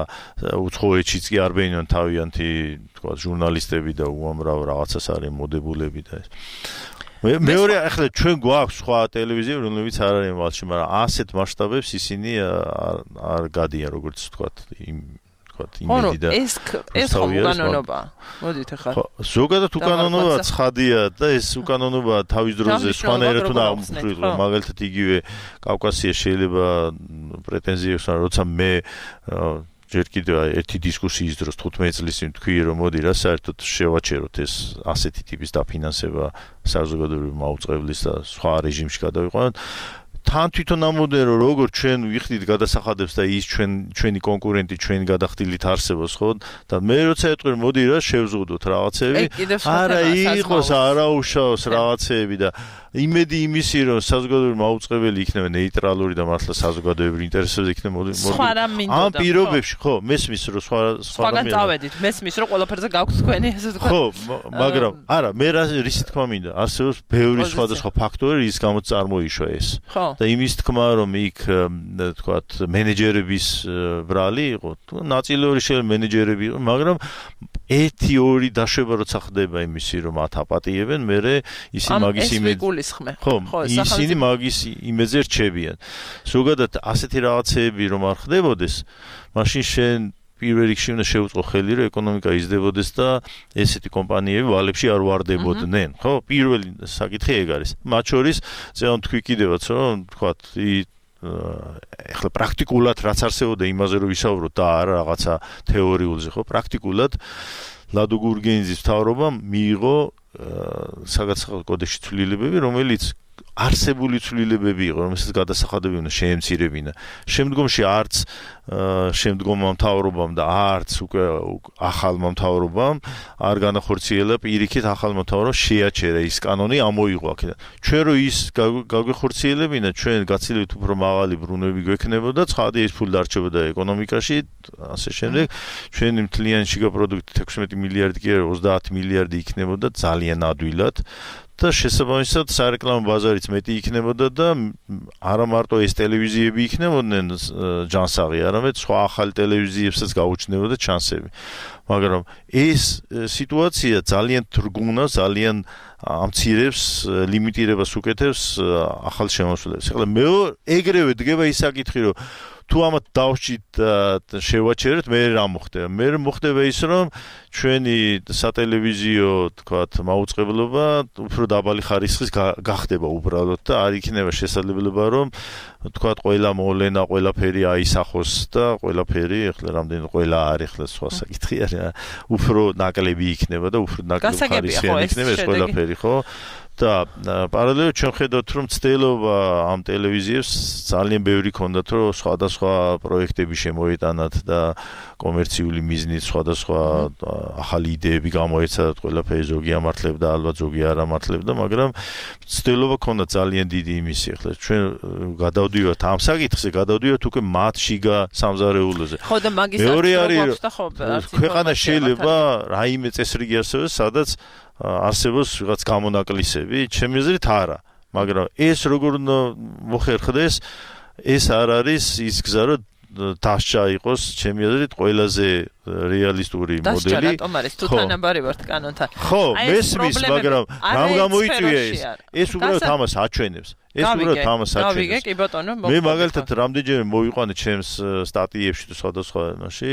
უცხოეთშიც კი არ ბენონ თავიანთი თქვა ჟურნალისტები და უამრავ რაღაცას არის მოდებულები და ეს მეორე ახლა ჩვენ გვაქვს სხვა ტელევიზიები რომლებიც არ არის მალში მაგრამ ასეთ მასშტაბებს ისინი არ გადიან როგორც თქვა იმ თქვა იმედი და ეს ეს უკანონობა მოდით ახლა ზოგადად უკანონობა ცხადია და ეს უკანონობა თავის დროზე სხვანაირად უნდა აღმოჩნდეს მაგალითად იგივე კავკასია შეიძლება პრეტენზიებს არ როცა მე ჯერ კიდევ ერთი დისკუსიის დროს თხუთმეტი წლის წინ თქვი რომ მოდი რა საერთოდ შევაჩეროთ ეს ასეთი ტიპის დაფინანსება საზოგადოებრივი მაუწყებლის და სხვა რეჟიმში გადავიყვანოთ თან თვითონ ამოდენ რომ როგორ ჩვენ ვიხდით გადასახადებს და ის ჩვენ ჩვენი კონკურენტი ჩვენი გადახდილით არსებობს ხო და მე როცა ეტყვი რომ მოდი რა შევზღუდოთ რაღაცები არა იყოს არაუშავს რაღაცები და იმედი იმისი რომ საზოგადოებრივი მაუწყებელი იქნება ნეიტრალური და მართლა საზოგადოებრივ ინტერესებზე იქნება მოდი ამ პირობებში ხო მესმის რომ სხვა სხვა სხვაგან წავედით მესმის რომ ყველაფერზე გაქვთ თქვენი ესე თქვა ხო მაგრამ არა მე რის თქმა მინდა არსებობს ბევრი სხვადასხვა ფაქტორი რის გამოც წარმოიშვა ეს და იმის თქმა რომ იქ თქვათ მენეჯერების ბრალი იყო ნაწილიური შეიძლება მენეჯერები იყო მაგრამ ერთი ორი დაშვება როცა ხდება იმისი რომ მათ აპატიებენ მე ისინი მაგის იმედი ხო ისინი მაგის იმედზე რჩებიან ზოგადად ასეთი რაღაცეები რომ არ ხდებოდეს მაშინ შენ პირველ რიგში უნდა შეუწყო ხელი რომ ეკონომიკა იზრდებოდეს და ესეთი კომპანიები ვალებში არ ვარდებოდნენ ხო პირველი საკითხი ეგ არის მათ შორის ზეონ თქვი კიდევაც რომ თქვათ ეხლა პრაქტიკულად რაც არსებობდა იმაზე რომ ვისაუბროთ და არა რაღაცა თეორიულზე ხო პრაქტიკულად ლადო გურგენიძის მთავრობამ მიიღო საგადასახადო კოდექსში ცვლილებები რომელიც არსებული ცვლილებები იყო რომელსაც გადასახადები უნდა შეემცირებინა შემდგომში არც შემდგომმა მთავრობამ და არც უკვე ახალმა მთავრობამ არ განახორციელა პირიქით ახალმა მთავრობამ შეაჩერა ის კანონი ამოიღო აქედან ჩვენ რო ის გაგვეხორციელებინა ჩვენ გაცილებით უფრო მაღალი ბრუნვები გვექნებოდა ცხადი ის ფული დარჩებოდა ეკონომიკაში ასე შემდეგ ჩვენი მთლიანი შიგა პროდუქტი ექვსმეტი მილიარდი კი არა ოცდაათი მილიარდი იქნებოდა ძალიან ადვილად და შესაბამისად სარეკლამო ბაზარიც მეტი იქნებოდა და არა მარტო ეს ტელევიზიები იქნებოდნენ ჯანსაღი, არამედ სხვა ახალი ტელევიზიებსაც გაუჩნდებოდა ჩანსები. მაგრამ ეს სიტუაცია ძალიან თრგუნა, ძალიან ამცირებს, ლიმიტირებას უკეთებს ახალ შემოსვლებს. ეხლა მე ეგრევე დგება ის საკითხი, რომ თუ ამათ დავჭით შევაჩერეთ, მე რა მოხდება? მე მოხდება ის, რომ ჩვენი სატელევიზიო, თქვათ, მაუწყებლობა უფრო დაბალი ხარისხის გახდება უბრალოდ და არ იქნება შესაძლებლობა, რომ თქვათ, ყველა მოვლენა, ყველაფერი აისახოს და ყველაფერი, ეხლა რამდენი ყველა არის, ეხლა სხვა საკითხი არის, უფრო ნაკლები იქნება და უფრო ნაკლები ხარისხიანი იქნება ეს ყველაფერი, ხო? და პარალელურად ჩვენ ხედავთ რომ ცდილობა ამ ტელევიზიებს ძალიან ბევრი ქონდათ რომ სხვადასხვა პროექტები შემოეტანათ და კომერციული მიზნით სხვადასხვა ახალი იდეები გამოეცადათ ყველაფერი ზოგი ამართლებდა ალბათ ზოგი არ ამართლებდა მაგრამ ცდილობა ქონდა ძალიან დიდი იმისი ახლა ჩვენ გადავდივართ ამ საკითხზე გადავდივართ უკვე მათ შიგა სამზარეულოზე ხო და მაგის აქვს და ხო ქვეყანა შეიძლება რაიმე წესრიგი არსებობს სადაც არსებობს ვიღაც გამონაკლისები ჩემი აზრით არა მაგრამ ეს როგორ მოხერხდეს ეს არ არის ის გზა რომ დასჭა იყოს ჩემი აზრით ყველაზე რეალისტური მოდელი დასჭა რატომ არის თუ თანაბარი ვართ კანონთან ხო მესმის მაგრამ რამ გამოიწვია ეს ეს უბრალოდ ამას აჩვენებს ეს უბრალოდ ამას აჩვენებს გავიგე კი ბატონო მე მაგალითად რამდენჯერმე მოვიყვანე ჩემს სტატიებში თუ სხვადასხვა ენაში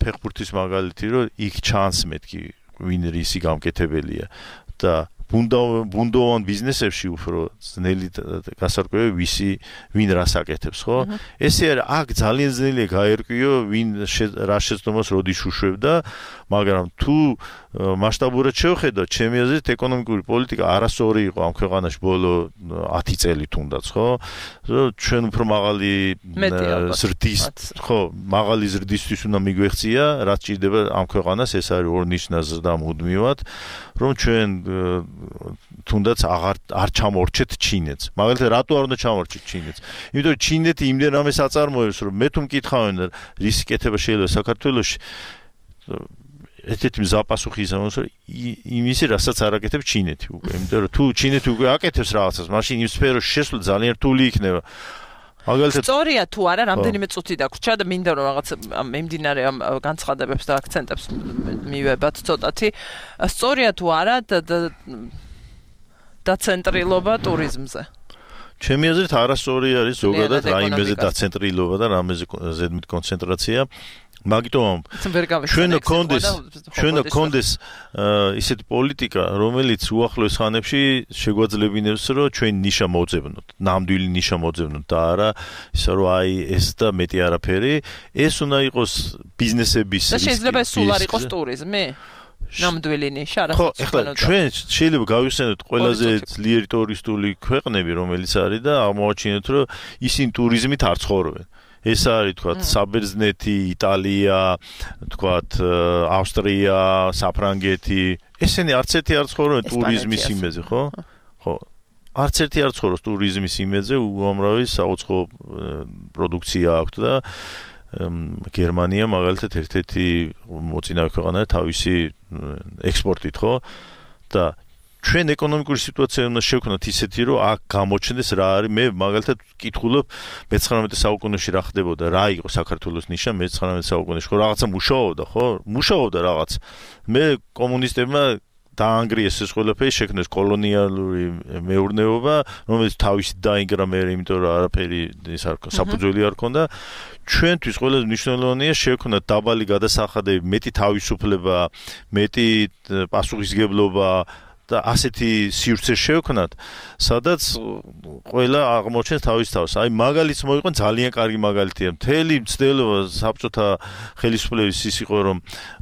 ფეხბურთის მაგალითი რომ იქ ჩანს მეთქი ვინ რისი გამკეთებელია და ბუნდოვან ბიზნესებში უფრო ძნელი გასარკვევი ვისი ვინ რას აკეთებს ხო ესე არის აქ ძალიან ძნელია გაერკვიო ვინ რა შეცდომას როდის უშვებდა მაგრამ თუ მასშტაბურად შევხედოთ ჩემი აზრით ეკონომიკური პოლიტიკა არასწორი იყო ამ ქვეყანაში ბოლო ათი წელი თუნდაც ხო ჩვენ უფრო მაღალი ზრდის ხო მაღალი ზრდისთვის უნდა მიგვეღწია რაც ჭირდება ამ ქვეყანას ეს არის ორნიშნა ზრდა მუდმივად რომ ჩვენ თუნდაც აღარ არ ჩამორჩეთ ჩინეთს. მაგალითად, რატო არ უნდა ჩამორჩეთ ჩინეთს? იმიტომ რომ ჩინეთი იმდენ ამას აწარმოებს, რომ მე თუ მკითხავენ რისი კეთება შეიძლება საქართველოში ერთ-ერთი მზაპასუხი ის ამას, რომ იმისი, რასაც არ აკეთებს ჩინეთი უკვე. იმიტომ რომ თუ ჩინეთი უკვე აკეთებს რაღაცას, მაშინ იმ სფეროში შესვლა ძალიან რთული იქნება. მაგალითად სწორია თუ არა, რამდენიმე წუთი დაგვრჩა და მინდა რომ რაღაც მიმდინარე ამ განცხადებებს და აქცენტებს მივებათ ცოტათი. სწორია თუ არა დაცენტრილობა ტურიზმზე. ჩემი აზრით არასწორი არის ზოგადად რაიმეზე დაცენტრილობა და რამეზე ზედმით კონცენტრაცია. მაგიტომ ჩვენ კონდეს ჩვენ კონდეს ისეთი პოლიტიკა რომელიც უახლოეს ხანებში შეგვაძლებინებს რომ ჩვენ ნიშა მოძებნოთ ნამდვილი ნიშა მოძებნოთ და არა ისა რომ აი ეს და მეტი არაფერი ეს უნდა იყოს ბიზნესების და შეიძლება სულ არ იყოს ტურიზმი ნამდვილი ნიშა რა ხო ეხლა ჩვენ შეიძლება გავიხსენოთ ყველაზე ძლიერი ტურისტული ქვეყნები რომელიც არის და აღმოაჩინოთ რომ ისინი ტურიზმით არ ცხოვრობენ ეს არის თქვათ საბერძნეთი, იტალია, თქვათ ავსტრია, საფრანგეთი. ესენი არც ერთი არ ცხოვრობენ ტურიზმის იმედზე, ხო? ხო. არც ერთი არ ცხოვრობს ტურიზმის იმედზე, უამრავი საუცხოო პროდუქცია აქვს და გერმანია მაგალითად ერთ-ერთი მოწინავე ქვეყანაა თავისი ექსპორტით, ხო? და ჩვენ ეკონომიკური სიტუაცია უნდა შევქნათ ისეთი, რომ აქ გამოჩნდეს რა არის. მე მაგალითად ვკითხულობ მეცხრამეტე საუკუნეში რა ხდებოდა, რა იყო საქართველოს ნიშა მეცხრამეტე საუკუნეში, ხო რაღაცა მუშაობდა, ხო? მუშაობდა რაღაც. მე კომუნისტებმა დაანგრიეს ეს ყველაფერი, შექმნეს კოლონიალური მეურნეობა, რომელიც თავისით დაინგრა მე, იმიტომ რომ არაფერი ის არ საფუძველი არ ქონდა. ჩვენთვის ყველაზე მნიშვნელოვანია შევქნათ დაბალი გადასახადები, მეტი თავისუფლება, მეტი პასუხისგებლობა და ასეთი სივრცე შევქნათ, სადაც ყველა აღმოჩენს თავის თავს. აი მაგალითს მოიყვან ძალიან კარგი მაგალითია. მთელი მცდელობა საბჭოთა ხელისუფლების ის იყო, რომ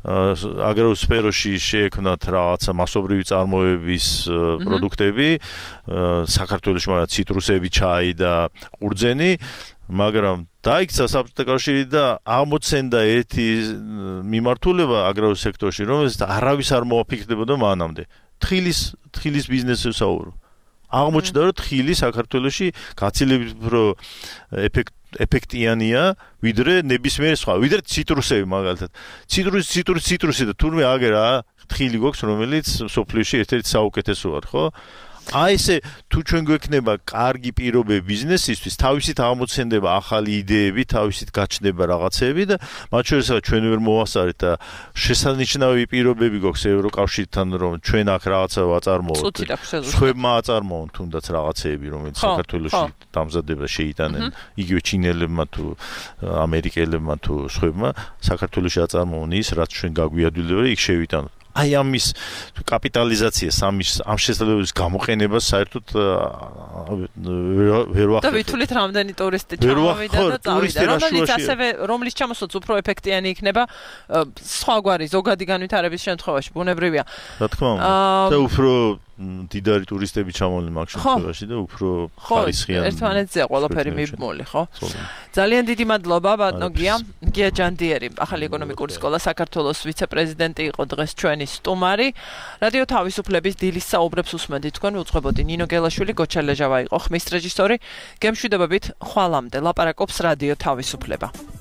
აგრარულ სფეროში შეექმნათ რაღაცა მასობრივი წარმოების პროდუქტები, საქართველოში მაგრამ ციტრუსები, ჩაი და ყურძენი, მაგრამ დაიქცა საბჭოთა კავშირი და აღმოცენდა ერთი მიმართულება აგრარულ სექტორში, რომელიც არავის არ მოაფიქრდებოდა მანამდე. თხილის თხილის ბიზნესზე საუბრო. აღმოჩნდა რომ თხილი საქართველოში გაცილებით უფრო ეფექტიანია ვიდრე ნებისმიერი სხვა, ვიდრე ციტრუსები მაგალითად. ციტრუსი ციტრუსი ციტრუსი და თურმე აგერა თხილი გვაქვს რომელიც სოფლიოში ერთ-ერთი საუკეთესოა, ხო? აი ესე თუ ჩვენ გვექნება კარგი პირობები ბიზნესისთვის, თავისით აღმოცენდება ახალი იდეები, თავისით გაჩნდება რაღაცები და მათ შორისაა ჩვენ ვერ მოვასწარეთ და შესანიშნავი პირობები გვაქვს ევროკავშირთან, რომ ჩვენ აქ რაღაცა ვაწარმოოთ. სხვებმა აწარმოონ თუნდაც რაღაცეები, რომელიც საქართველოში დამზადება შეიტანენ, იგივე ჩინელებმა თუ ამერიკელებმა თუ სხვებმა საქართველოში აწარმოონ ის, რაც ჩვენ გაგვიადვილება, იქ შევიტანოთ. აი ამის კაპიტალიზაცია სამის ამ შესაძლებლობის გამოყენებას საერთოდ ვერ ვახერხებ. და ვითვლით რამდენი ტურისტი ჩამოვიდა და წავიდა, რომელიც ასევე რომლის ჩამოსვლაც უფრო ეფექტიანი იქნება სხვაგვარი ზოგადი განვითარების შემთხვევაში, ბუნებრივია. რა თქმა უნდა. და უფრო დიდარი ტურისტები ჩამოვლენ მაგ შემთხვევაში და უფრო ხარისხიანი. ხო, ერთმანეთზე ყველაფერი მიბმული, ხო? ძალიან დიდი მადლობა ბატონო გია. გია ჯანდიერი, ახალი ეკონომიკური სკოლა საქართველოს ვიცე-პრეზიდენტი იყო დღეს ჩვენი სტუმარი. რადიო თავისუფლების დილის საუბრებს უსმენთ თქვენ უძღვებოდი ნინო გელაშვილი, გოჩა ლეჟავა იყო ხმის რეჟისორი. გემშვიდობებით ხვალამდე ლაპარაკობს რადიო თავისუფლება.